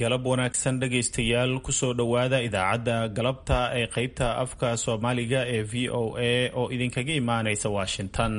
Galab wanaagsan dhegaystayaal, kusoo dhowaada idaacadda galabta ee qeybta afka Soomaaliga ee VOA oo idinkaga imaanaysa Washington.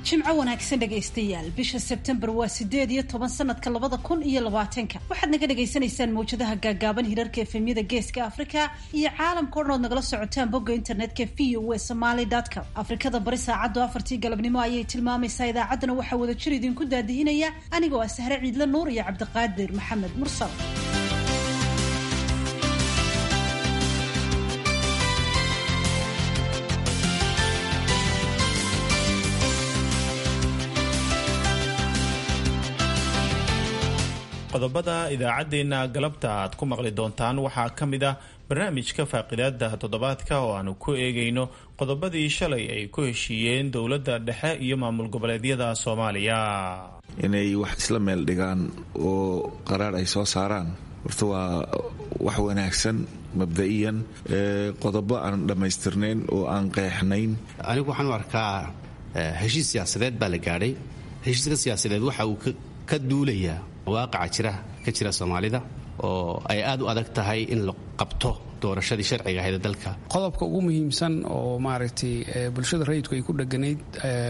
Jimco wanaagsan dhegaystayaal. Bisha Sebtembar waa 18 sanadka 2020-ka. Waxaad naga dhagaysanaysaan mawjadaha gaagaaban, hirarka efemyada Geeska Afrika iyo caalamka o dhan ood nagala socotaan bogga internetka voasomaly.com. Afrikada Bari saacaddu 4-tii galabnimo ayay tilmaamaysaa. Idaacaddana waxaa wada jir idinku daadihinaya anigoo ah Sahre Ciidle Nuur iyo Cabdiqaadir Maxamed Mursal. Qodobada idaacaddeenna galabta aad ku maqli doontaan waxaa ka mid ah barnaamijka faaqidaada toddobaadka oo aanu ku eegayno qodobadii shalay ay ku heshiiyeen dowladda dhexe iyo maamul goboleedyada Soomaaliya. Inay wax isla meel dhigaan oo qaraar ay soo saaraan horta waa wax wanaagsan mabda'iyan. Qodobo aan dhammaystirnayn oo aan qeexnayn. Anigu waxaan u arkaa heshiis siyaasadeed baa la gaadhay. Heshiiska siyaasadeed waxa uu ka duulayaa waaqaca jira ka jira Soomaalida oo ay aad u adag tahay in la qabto doorashadii sharciga ahayd dalka. Qodobka ugu muhiimsan oo maaragtay bulshada rayidku ay ku dheganayd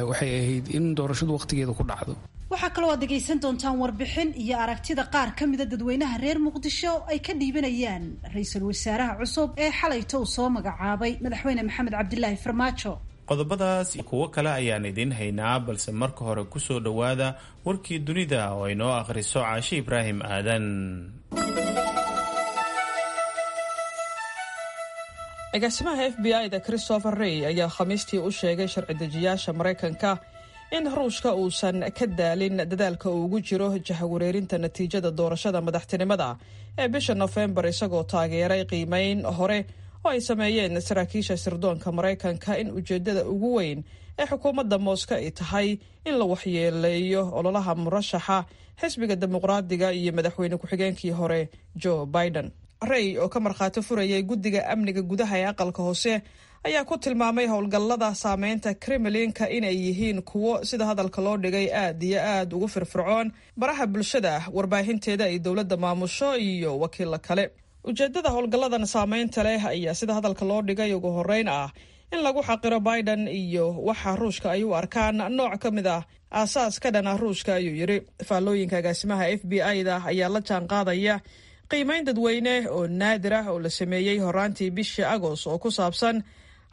waxay ahayd in doorashadu wakhtigeeda ku dhacdo. Waxaa kaloo aad dhegaysan doontaan warbixin iyo aragtida qaar ka mida dadweynaha reer Muqdisho ay ka dhiibanayaan ra-iisul wasaaraha cusub ee xalayto uu soo magacaabay Madaxweyne Maxamed Cabdilaahi Farmaajo. Qodobadaas kuwo kale ayaan idiin haynaa, balse marka hore kusoo dhowaada warkii dunida oo ay noo akhriso Caashe Ibraahim Aadan. Agaasimaha FBI da Christopher Rey ayaa Khamiistii u sheegay sharci dejiyaasha Maraykanka in Ruushka uusan ka daalin dadaalka uu ugu jiro jahawareerinta natiijada doorashada madaxtinimada ee bisha Nofembar, isagoo taageeray qiimeyn hore oo ay sameeyeen saraakiisha sirdoonka Maraykanka in ujeeddada ugu weyn ee xukuumadda Mooska ay tahay in la waxyeeleeyo ololaha murashaxa xisbiga Dimuqraadiga iyo madaxweyne ku-xigeenkii hore Joe Biden. Rey oo ka markhaati furayay guddiga amniga gudaha ee aqalka hoose ayaa ku tilmaamay howlgallada saameynta Kremlinka inay yihiin kuwo, sida hadalka loo dhigay, aad iyo aad ugu firfircoon baraha bulshada, warbaahinteeda ay dowladda maamusho iyo wakiilo kale. Ujeeddada howlgalladan saameynta leh ayaa, sida hadalka loo dhigay, ugu horreyn ah in lagu xaqiro Biden iyo waxa Ruushka ay u arkaan nooc ka mid ah aasaas ka dhan ah Ruushka, ayuu yidhi. Faallooyinka agaasimaha FBI da ayaa la jaan qaadaya qiimeyn dadweyne oo naadir ah oo la sameeyey horaantii bishii Agost oo ku saabsan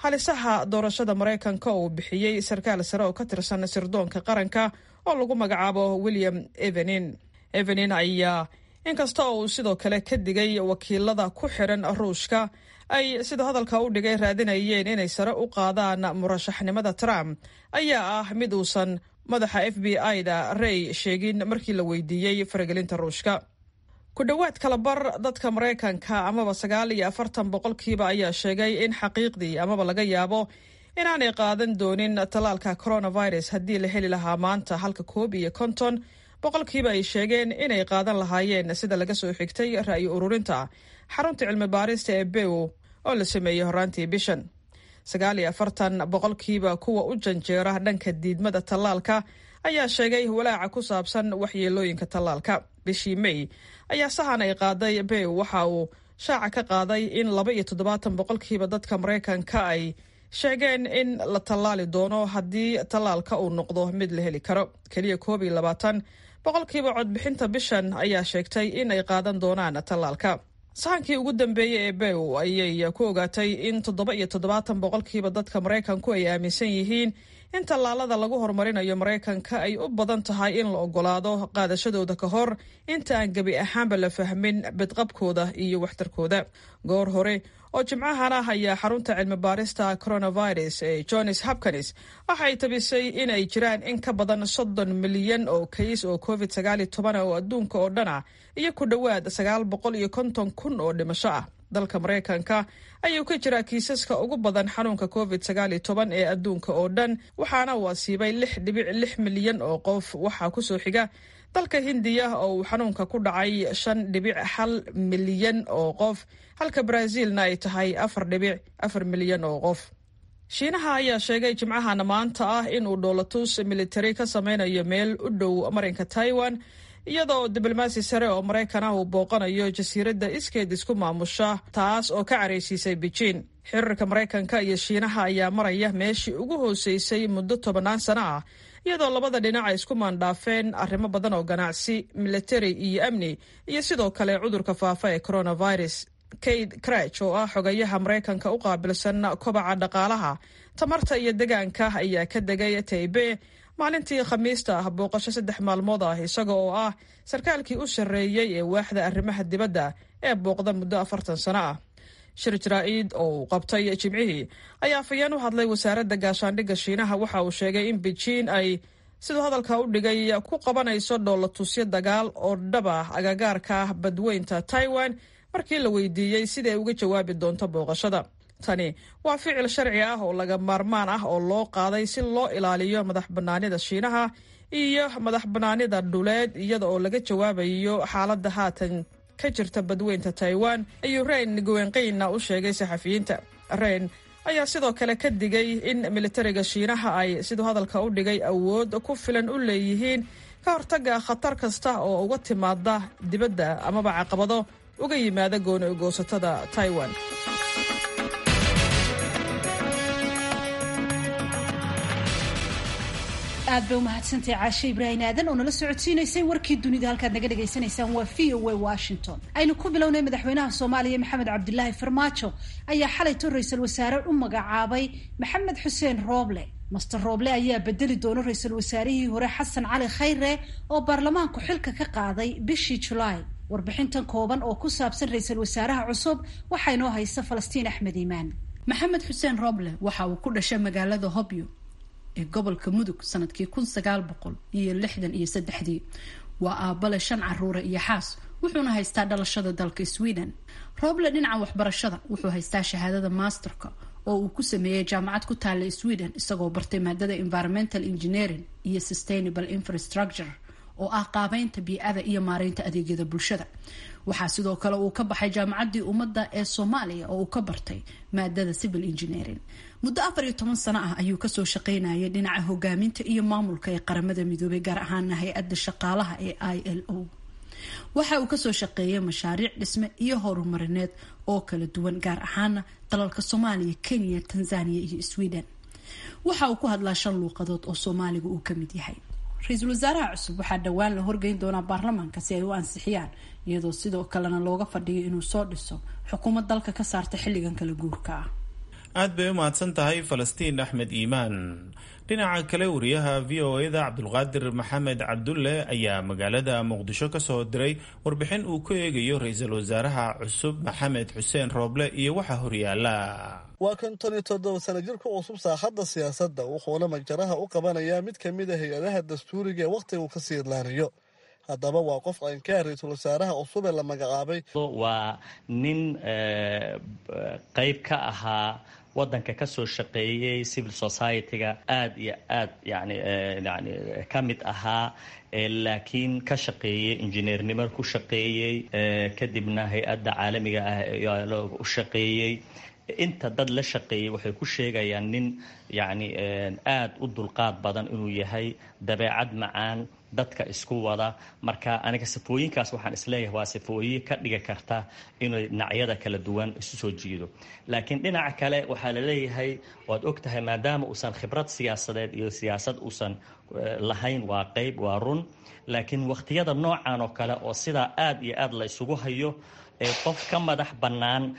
halisaha doorashada Maraykanka oo uu bixiyey sarkaal sare oo ka tirsan sirdoonka qaranka oo lagu magacaabo William Evenin. Evenin ayaa inkasta oo uu sidoo kale ka digay wakiilada ku xiran Ruushka ay, sida hadalka u dhigay, raadinayeen inay sare u qaadaan murashaxnimada Trump, ayaa ah mid uusan madaxa FBI da Rey sheegin markii la weydiiyey faragelinta Ruushka. Ku dhowaad kalabar dadka Maraykanka amaba 49% ayaa sheegay in xaqiiqdii amaba laga yaabo inaanay qaadan doonin tallaalka coronavirus haddii la heli lahaa maanta, halka 51% ay sheegeen inay qaadan lahaayeen, sida laga soo xigtay ra'yi ururinta xarunta cilmi baarista ee Pew oo la sameeyey horaantii bishan. 49% kuwa u janjeera dhanka diidmada tallaalka ayaa sheegay walaaca ku saabsan waxyeelooyinka tallaalka. Bishii May ayaa sahan ay qaaday Pew waxa uu shaaca ka qaaday in 72% dadka Maraykanka ay sheegeen in la tallaali doono haddii tallaalka uu noqdo mid la heli karo. Keliya 21% codbixinta bishan ayaa sheegtay in ay qaadan doonaan tallaalka. Sahankii ugu dambeeyey ee Pew ayay ku ogaatay in 77% dadka Maraykanku ay aaminsan yihiin in tallaalada lagu horumarinayo Maraykanka ay u badan tahay in la ogolaado qaadashadooda ka hor inta aan gebi ahaanba la fahmin bidqabkooda iyo waxtarkooda. Goor hore oo Jimcahan ah ayaa xarunta cilmi baarista coronavirus ee Johns Hopkins waxa ay tabisay in ay jiraan in ka badan 30 milyan oo kays oo COVID-19 oo adduunka oo dhan ah iyo ku dhowaad 950,000 oo dhimasho ah. Dalka Maraykanka ayuu ka jiraa kiisaska ugu badan xanuunka COVID-19 ee adduunka oo dhan, waxaana uu asiibay 6.6 milyan oo qof. Waxaa kusoo xiga dalka Hindiya oo uu xanuunka ku dhacay 5.1 milyan oo qof, halka Brazilna ay tahay 4.4 milyan oo qof. Shiinaha ayaa sheegay Jimcahana maanta ah inuu dhoolatus militari ka sameynayo meel u dhow marinka Taiwan, iyadoo diblomaasi sare oo Maraykan ah uu booqanayo jasiiradda iskeed isku maamusha, taas oo ka caraysiisay Beijing. Xiriirka Maraykanka iyo Shiinaha ayaa maraya meeshii ugu hooseysay muddo 10 sano ah, iyadoo labada dhinac ay isku maandhaafeen arrimo badan oo ganacsi, militari iyo amni, iyo sidoo kale cudurka faafa ee coronavirus. Kate Crach oo ah xogayaha Maraykanka u qaabilsan kobaca dhaqaalaha, tamarta iyo degaanka ayaa ka degay Taibe maalintii Khamiista ah booqasho 3 maalmood ah, isaga oo ah sarkaalkii u sarreeyey ee waaxda arrimaha dibadda ee booqda muddo 40 sano ah. Shir jaraa-id oo uu qabtay Jimcihii ayaa afayeen u hadlay wasaaradda gaashaandhigga Shiinaha waxa uu sheegay in Beijing ay, siduu hadalka u dhigay, ku qabanayso dhoolatusyo dagaal oo dhab ah agagaarka badweynta Taiwan. Markii la weydiiyey sida ay uga jawaabi doonto booqashada, tani waa ficil sharci ah oo laga maarmaan ah oo loo qaaday si loo ilaaliyo madax bannaanida Shiinaha iyo madax bannaanida dhuleed, iyada oo laga jawaabayo xaaladda haatan ka jirta badweynta Taiwan, ayuu Rein Guwenqina u sheegay saxafiyiinta. Rein ayaa sidoo kale ka digay in militariga Shiinaha ay, siduu hadalka u dhigay, awood ku filan u leeyihiin ka hortagga khatar kasta oo uga timaada dibadda amaba caqabado uga yimaada gooni goosatada Taiwan. Aad bay umahadsantahay Caashe Ibraahim Aadan oo nala socodsiinaysay warkii dunida. Halkaad naga dhagaysanaysaan waa VOA Washington. Aynu ku bilownay, madaxweynaha Soomaaliya Maxamed Cabdilaahi Farmaajo ayaa xalayto ra-iisul wasaare u magacaabay Maxamed Xuseen Rooble. Master Rooble ayaa bedeli doona ra-iisul wasaarihii hore Xasan Cali Khayre oo baarlamaanku xilka ka qaaday bishii Julaay. Warbixintan kooban oo ku saabsan ra-iisul wasaaraha cusub waxaa inoo haysa Falastiin Axmed Iimaan. Maxamed Xuseen Rooble waxa uu ku dhashay magaalada Hobyo ee gobolka Mudug sanadkii 1963. Waa aabale 5 caruura iyo xaas, wuxuuna haystaa dhalashada dalka Sweden. Rooble dhinaca waxbarashada wuxuu haystaa shahaadada masterka oo uu ku sameeyey jaamacad ku taalla Sweden, isagoo bartay maadada environmental engineering iyo sustainable infrastructure, oo ah qaabeynta bii'ada iyo maareynta adeegyada bulshada. Waxaa sidoo kale uu ka baxay Jaamacaddii Ummadda ee Soomaaliya oo uu ka bartay maadada civil engineering. Muddo 14 sano ah ayuu kasoo shaqeynayay dhinaca hogaaminta iyo maamulka ee Qaramada Midoobay, gaar ahaana hay-adda shaqaalaha ee ILO. Waxa uu kasoo shaqeeyay mashaariic dhisme iyo horumarineed oo kala duwan, gaar ahaana dalalka Soomaaliya, Kenya, Tanzania iyo Sweden. Waxa uu ku hadlaa 5 luuqadood oo Soomaaliga uu kamid yahay. Ra-iisul wasaaraha cusub waxaa dhowaan la horgeyn doonaa baarlamaanka si ay u ansixiyaan, iyadoo sidoo kalena looga fadhiyo inuu soo dhiso xukuumad dalka ka saarta xilligan kala guurka ah. Aad bay u mahadsan tahay Falastiin Axmed Iimaan. Dhinaca kale, wariyaha VOA-da Cabdulqaadir Maxamed Cabdulle ayaa magaalada Muqdisho ka soo diray warbixin uu ku eegayo ra-iisul wasaaraha cusub Maxamed Xuseen Rooble iyo waxa horyaala. Waa 57 sana jirka cusub saaxadda siyaasadda, wuxuuna majaraha u qabanayaa mid ka mid a hay-adaha dastuuriga ee wakhtiga uu kasii idlaanayo. Haddaba waa qof caynkaa ra-iisul wasaaraha cusub ee la magacaabay? Waa nin qayb ka ahaa waddanka, ka soo shaqeeyey civil society-ga, aada iyo aad yani ka mid ahaa, laakiin ka shaqeeyey injineernimo ku shaqeeyey, kadibna hay-adda caalamiga ah u shaqeeyey. Inta dad la shaqeeyey waxay ku sheegayaan nin yacni aada u dulqaad badan inuu yahay, dabeecad macaan, dadka isku wada. Marka aniga sifooyinkaas waxaan isleeyahay waa sifooyin ka dhigi karta inay dhinacyada kala duwan isu soo jiido. Laakiin dhinaca kale waxaa laleeyahay, waad og tahay, maadaama uusan khibrad siyaasadeed iyo siyaasad uusan lahayn, waa qayb, waa run. Laakiin wakhtiyada noocan oo kale oo sidaa aada iyo aada la isugu hayo, qof ka madax bannaan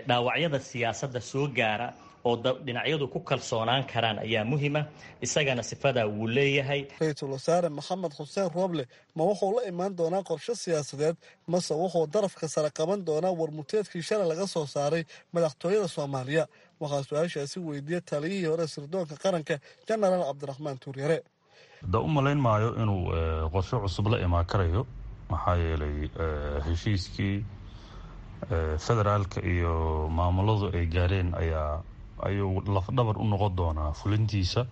dhaawacyada siyaasadda soo gaara oo dhinacyadu ku kalsoonaan karaan ayaa muhima. Isagana sifadaa wuu leeyahay. Ra-iisul wasaare Maxamed Xuseen Rooble ma wuxuu la imaan doonaa qorshe siyaasadeed, mase wuxuu darafka sare qaban doonaa warmuteedkii shalay laga soo saaray madaxtooyada Soomaaliya? Waxaa su-aashaasi weydiiyey taliyihii hore sirdoonka qaranka, Jenaraal Cabdiraxmaan Tuuryare. Da u malayn maayo inuu qorshe cusub la imaan karayo, maxaa yeelay heshiiskii federaalka iyo maamuladu ay gaareen ayaa ayuu lafdhabar u noqon doonaa fulintiisa.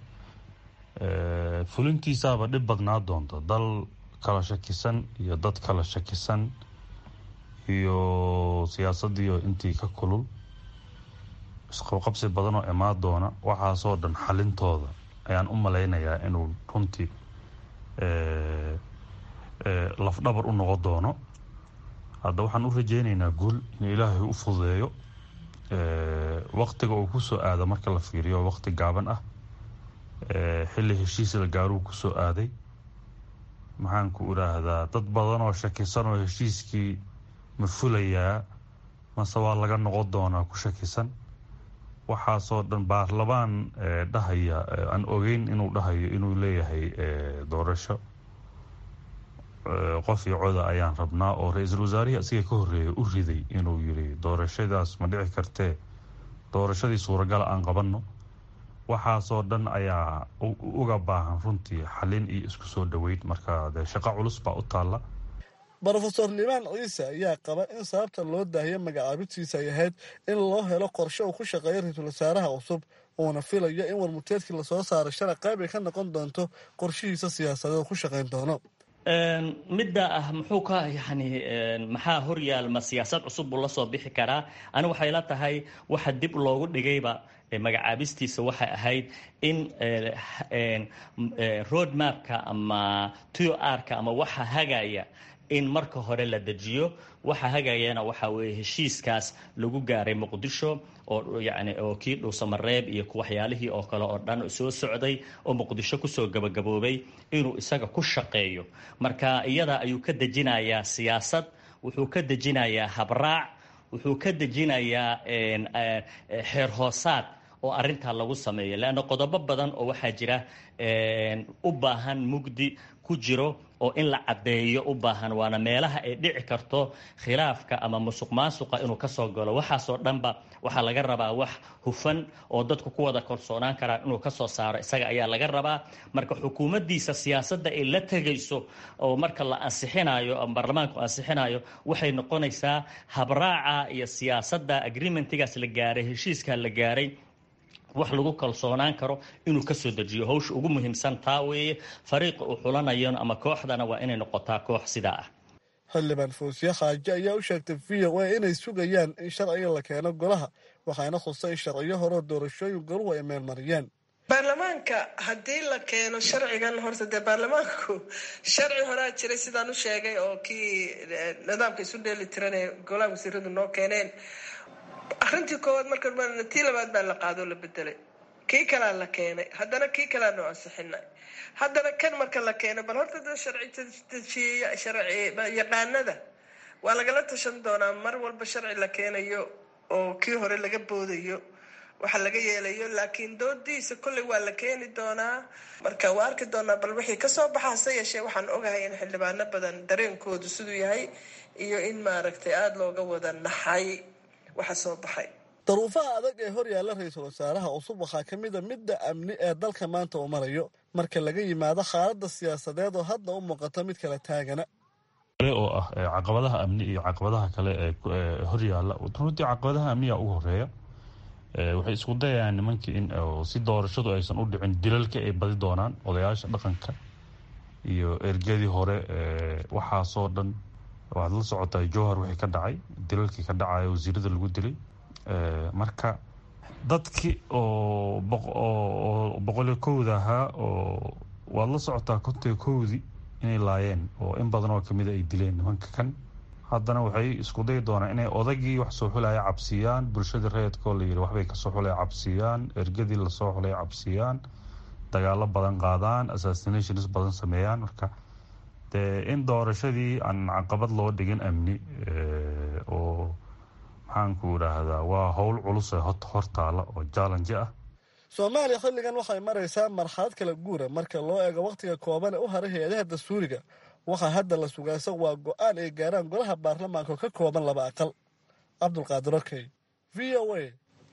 Fulintiisaaba dhib badnaa doonta, dal kala shakisan iyo dad kala shakisan. iyo siyaasaddiioo intii ka kulul, isqabqabsi badanoo imaan doona, waxaasoo dhan xalintooda ayaan u malaynayaa inuu runtii lafdhabar u noqon doono. Hadda waxaan u rajeynaynaa guul in Ilaahay u fududeeyo. Waqtiga uu kusoo aado marka la fiiriyo, waqti gaaban ah, xilli heshiis la gaaruu kusoo aaday. Maxaan ku idhaahdaa, dad badan oo shakisan oo heshiiskii ma fulayaa mase waa laga noqon doonaa ku shakisan, waxaasoo dhan baarlamaan dhahaya aan ogeyn inuu dhahayo inuu leeyahay doorasho qof iyo coda ayaan rabnaa, oo ra-iisul wasaarihii asiga ka horreeyay u riday inuu yiri doorashadaas ma dhici kartee, doorashadii suuragala aan qabanno. Waxaasoo dhan ayaa uga baahan runtii xalin iyo isku soo dhoweyn. Marka dee shaqo culus baa u taalla. Brofesor Liibaan Ciise ayaa qaba in sababta loo daahiyo magacaabintiisa ay ahayd in loo helo qorshe uu ku shaqeeyo ra-iisul wasaaraha cusub, uuna filayo in warmuteedkii lasoo saaray shalay qayb ay ka noqon doonto qorshihiisa siyaasadeed oo ku shaqayn doono. Midda ah muxuu ka yani maxaa horyaalma siyaasad cusub buu lasoo bixi karaa? Ani waxay la tahay waxa dib loogu dhigayba magacaabistiisa waxay ahayd in road mapka ama TR-ka ama waxa hagaya in marka hore la dejiyo. Waxa hagayana waxa weeye heshiiskaas lagu gaaray Muqdisho, oo yani oo kii Dhuusamareeb iyo waxyaalihii oo kale oo dhan soo socday oo Muqdisho kusoo gabagaboobay, inuu isaga ku shaqeeyo. Marka iyada ayuu ka dejinayaa siyaasad, wuxuu ka dejinayaa habraac, wuxuu ka dejinayaa xeer hoosaad oo arrintaa lagu sameeyo, leanna qodobo badan oo waxaa jira u baahan mugdi ku jiro oo in la caddeeyo u baahan, waana meelaha ay dhici karto khilaafka ama musuq maasuqa inuu kasoo galo. Waxaasoo dhanba waxaa laga rabaa wax hufan oo dadku ku wada kalsoonaan karaan inuu kasoo saaro, isaga ayaa laga rabaa. Marka xukuumaddiisa siyaasadda ay la tegayso oo marka la ansixinayo ama baarlamaanku ansixinayo waxay noqonaysaa habraaca iyo siyaasadda agreementigaas la gaaray, heshiiskaa la gaaray, wax lagu kalsoonaan karo inuu kasoo dejiyo. Hawsha ugu muhiimsan taa weeye. Fariiqa uu xulanayona ama kooxdana waa inay noqotaa koox sidaa ah. Xildhibaan Foosiye Xaaje ayaa u sheegtay VOA inay sugayaan in sharciga la keeno golaha, waxaana khusay in sharciyo horeo doorashooyin goluhu ay meelmariyeen. Baarlamaanka haddii la keeno sharcigan, horta dee baarlamaanku sharci horaa jiray sidaan u sheegay, oo kii nidaamka isu dheeli tiran ee golaha wasiiradu noo keeneen. Arrintii koowaad marka tii labaad baa la qaadoo la bedelay, kii kalaa la keenay, haddana kii kalaa noo ansixinay, haddana kan marka la keeno, bal horta dee sharci dejiyeya, sharci yaqaanada waa lagala tashan doonaa. Mar walba sharci la keenayo oo kii hore laga boodayo waxa laga yeelayo, laakiin doodiisa kolley waa la keeni doonaa. Marka waa arki doonaa bal wixii kasoo baxa. Hase yeeshee waxaan ogahay in xildhibaano badan dareenkoodu siduu yahay iyo in maaragtay aada looga wada naxay waxa soo baxay. Daruufaha adag ee hor yaalla ra-iisul wasaaraha cusub waxaa ka mid a midda amni ee dalka maanta uu marayo, marka laga yimaado xaaladda siyaasadeed oo hadda u muuqata mid kala taagana. Oo ah caqabadaha amni iyo caqabadaha kale ee horyaalla, runtii caqabadaha amniga ugu horeeya. Waxay isku dayayaan nimankii in si doorashadu aysan u dhicin dilalka ay badi doonaan, odayaasha dhaqanka iyo ergadii hore. Waxaasoo dhan waxaad la socotaa, Jowhar wixii ka dhacay, dilalkii ka dhacaya, wasiirada lagu dilay. Marka dadki oo 101da ahaa oo waad la socotaa, 51dii inay laayeen oo in badan oo kamida ay dileen nimanka kan. Haddana waxay isku dayi doonaan inay odagii wax soo xulaya cabsiiyaan, bulshadii rayidkoo la yiri waxbay kasoo xulaya cabsiiyaan, ergadii lasoo xulay cabsiiyaan, dagaalo badan qaadaan, assassinations badan sameeyaan. Marka dee in doorashadii aan caqabad loo dhigin amni oo maxaanku idhaahdaa, waa howl culus ee hortaala oo challenge ah. Soomaaliya xilligan waxay maraysaa marxalad kala guura marka loo eego wakhtiga kooban ee u haray hay-adaha dastuuriga. Waxaa hadda la sugaasa waa go-aan ay gaaraan golaha baarlamaanka oo ka kooban laba aqal. Cabdulqaadir Okey, VOA,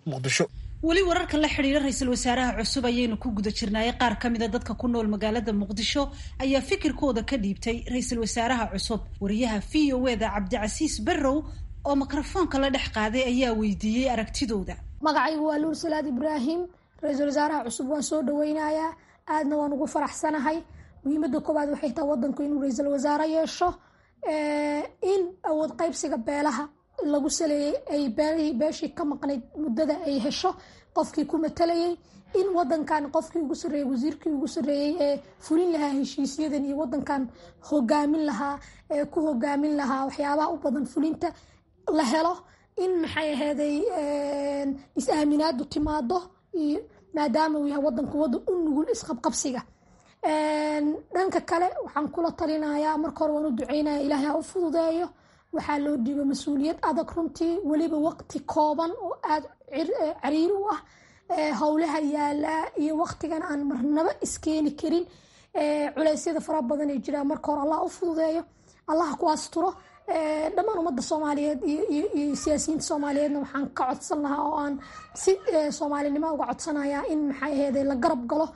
Muqdisho. Weli wararka la xidhiira ra-iisul wasaaraha cusub ayaynu ku guda jirnaayay. Qaar ka mida dadka ku nool magaalada Muqdisho ayaa fikirkooda ka dhiibtay ra-iisul wasaaraha cusub. Wariyaha VOA da Cabdicasiis Barrow oo mikrofoonka la dhex qaaday ayaa weydiiyey aragtidooda. Magacaygu waa Luur Salaad Ibraahim. Ra-iisul wasaaraha cusub waan soo dhaweynayaa, aadna waan ugu faraxsanahay. Muhiimada koowaad waxay tahay wadanku inuu ra-iisul wasaare yeesho. In awood qaybsiga beelaha lagu saleeyey ay beelihii beeshii ka maqnayd muddada ay hesho qofkii ku matalayay, in wadankan qofkii ugu sarreeyey, wasiirkii ugu sarreeyey ee fulin lahaa heshiisyadan iyo wadankan hogaamin lahaa, ee ku hogaamin lahaa waxyaabaha u badan fulinta la helo, in maxay aheeday is-aaminaadu timaado, iyo maadaama uu yahay wadanku wadan u nugul isqabqabsiga. Dhanka kale waxaan kula talinayaa, marka hore waan u duceynaya, Ilaahay ha u fududeeyo. Waxaa loo dhiibo mas-uuliyad adag runtii, weliba waqti kooban oo aada cariiri u ah howlaha yaalaa iyo waqtigan aan marnaba iskeeni karin culeysyada fara badan ee jiraan. Marka hore Allah u fududeeyo, Allah ku asturo. Dhammaan ummadda Soomaaliyeed iyo siyaasiyiinta Soomaaliyeedna waxaan ka codsan lahaa oo aan si soomaalinimo uga codsanayaa in maxay aheeday la garab galo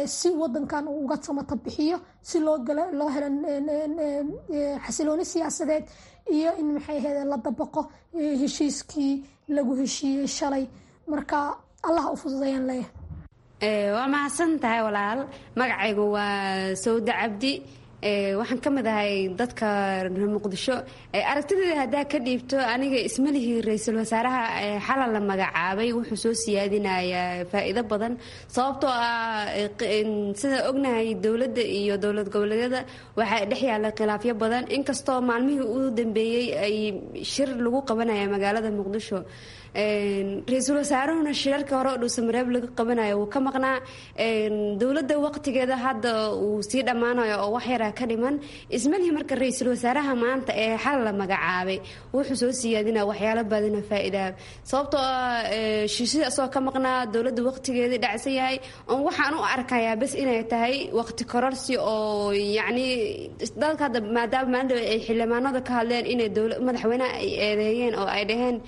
si wadankan uu uga samata bixiyo, si loo helo xasilooni siyaasadeed, iyo in maxay aheede la dabaqo heshiiskii lagu heshiiyey shalay. Marka Allah u fududeeyaan leeyahay. Waa mahadsan tahay walaal. Magacaygu waa Sawda Cabdi, waxaan ka mid ahay dadka reer Muqdisho. Aragtideeda haddaa ka dhiibto, aniga ismalihii ra-iisul wasaaraha xalal la magacaabay wuxuu soo siyaadinayaa faa'iido badan, sababtoo ah sida ognahay dowladda iyo dowlad goboleedyada waxaa dhex yaalla khilaafyo badan, inkastoo maalmihii u dambeeyey ay shir lagu qabanaya magaalada Muqdisho. Ra-iisul wasaaruhuna shirarka hore oo Dhuusamareeb laga qabanayo wuu ka maqnaa. Dowladda waqtigeeda hadda uu sii dhammaanayo oo wax yaraa ka dhiman. Ismalihii marka ra-iisul wasaaraha maanta ee xal la magacaabay wuxuu soo siyaadinaa waxyaalo badana faa'iidaa, sababtoo ah heshiisyada asagoo ka maqnaa, dowladda waqtigeedii dhacsan yahay. Waxaan u arkayaa bas inay tahay waqti kororsi oo yacni dalka hadda maadaama maalin ay xildhibaanada ka hadleen inay madaxweynaha ay eedeeyeen oo ay dhaheen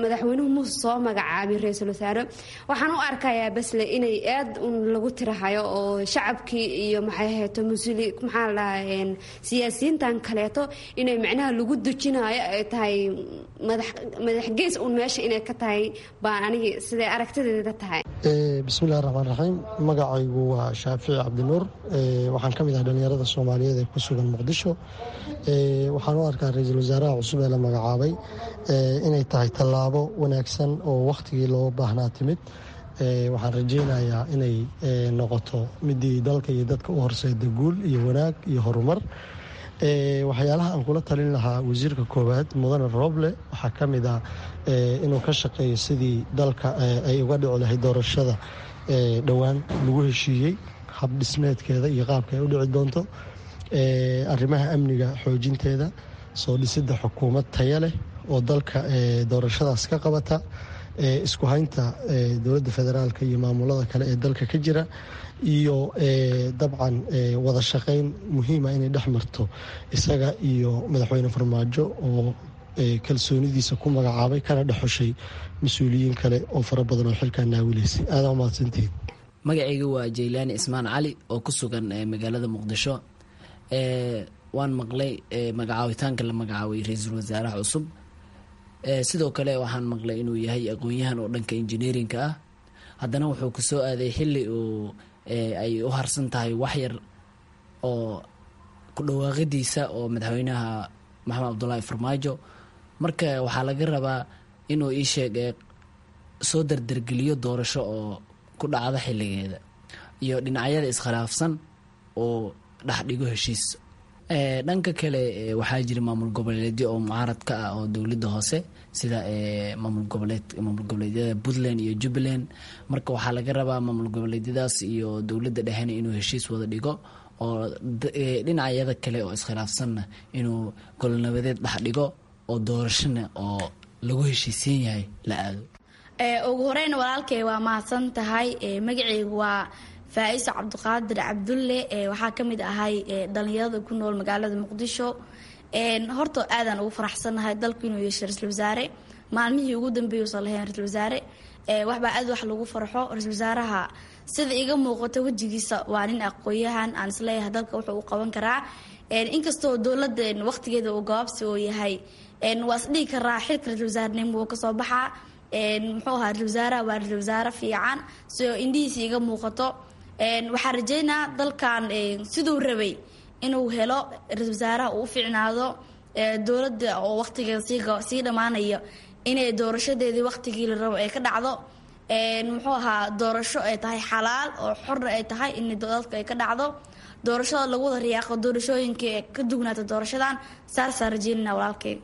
madaxweynuhu muuse soo magacaabin ra-iisul wasaare. Waxaan u arkayaa basle inay aad un lagu tirahayo oo shacabkii iyo maxay ahayto musli maxaa la dhahaa siyaasiyiintan kaleeto inay macnaha lagu dujinayo ay tahay madaxgees un meesha inay ka tahay baan anigi siday aragtideeda tahay. Bismillahi raxmaan raxiim. Magacaygu waa Shaafici Cabdinuur, waxaan ka mid ahay dhallinyarada Soomaaliyeed ee ku sugan Muqdisho. Waxaan u arkaa ra-iisul wasaaraha cusub ee la magacaabay inay tahay tallaabo wanaagsan oo wakhtigii loo baahnaa timid. Waxaan rajeynayaa inay noqoto midii dalka iyo dadka u horseeda guul iyo wanaag iyo horumar. Waxyaalaha aan kula talin lahaa wasiirka koowaad mudane Roble waxaa ka mid ah inuu ka shaqeeyo sidii dalka ay uga dhici lahayd doorashada dhowaan lagu heshiiyey, hab dhismeedkeeda iyo qaabka ay u dhici doonto, arrimaha amniga xoojinteeda, soo dhisidda xukuumad taya leh oo dalka doorashadaas ka qabata, isku haynta dowladda federaalka iyo maamulada kale ee dalka ka jira, iyo dabcan wada shaqeyn muhiima inay dhex marto isaga iyo madaxweyne Farmaajo oo kalsoonidiisa ku magacaabay kana dhexushay mas-uuliyiin kale oo fara badan oo xilkaa naawilaysay. Aadaa umahadsantihiin. Magacayga waa Jaylaani Ismaan Cali oo ku sugan magaalada Muqdisho. Waan maqlay magacaawitaanka la magacaabay ra-iisul wasaaraha cusub. Sidoo kale waxaan maqlay inuu yahay aqoon-yahan oo dhanka engineerinka ah. Haddana wuxuu kusoo aaday xilli uu ay u harsan tahay waxyar oo ku dhawaaqidiisa oo madaxweynaha Maxamed Cabdulaahi Farmaajo. Marka waxaa laga rabaa inuu ii sheeg soo dardargeliyo doorasho oo ku dhacda xilligeeda iyo dhinacyada iskhilaafsan oo dhexdhigo heshiis. Dhanka kale waxaa jira maamul goboleedyo oo mucaarad ka ah oo dowladda hoose, sida maamul goboleedyada Puntland iyo Jubbaland. Marka waxaa laga rabaa maamul goboleedyadaas iyo dowladda dhexena inuu heshiis wada dhigo oo dhinacyada kale oo iskhilaafsanna inuu golnabadeed dhex dhigo oo doorashona oo lagu heshiisiin yahay la aado. Ugu horeyn walaalkay waa mahadsan tahay. Magacaygu waa Faa'iso Cabdiqaadir Cabdulle, waxaa ka mid ahay dhallinyarada ku nool magaalada Muqdisho. Horta aadaan ugu faraxsannahay dalku inuu yeeshay ra-iisul wasaare. Maalmihii ugu dambeeyay uusan lahayn ra-iisul wasaare, waxbaa aad wax lagu farxo. Ra-iisul wasaaraha sida iga muuqato wejigiisa waa nin aqoon-yahan aan isleeyahay dalka wuxuu u qaban karaa, inkastoo dowladda waqtigeeda uu gabaabsi oo yahay. Waa isdhihi karaa xilka ra-iisul wasaarenimo wuu kasoo baxaa. Muxuu ahaa ra-iisul wasaaraha? Waa ra-iisul wasaare fiican soo indhihiisa iga muuqato. Waxaan rajeynaa dalkan siduu rabay inuu helo ra-iisul wasaaraha uu u fiicnaado dowladda oo waqtigeeda sii dhammaanaya inay doorashadeedii waqtigii la rabo ay ka dhacdo, muxuu ahaa doorasho ay tahay xalaal oo xorna ay tahay in dadka ay ka dhacdo doorashada lagu wada riyaaqo, doorashooyinkii ay ka dugnaato doorashadan saasaan rajeynana walaalkeyga.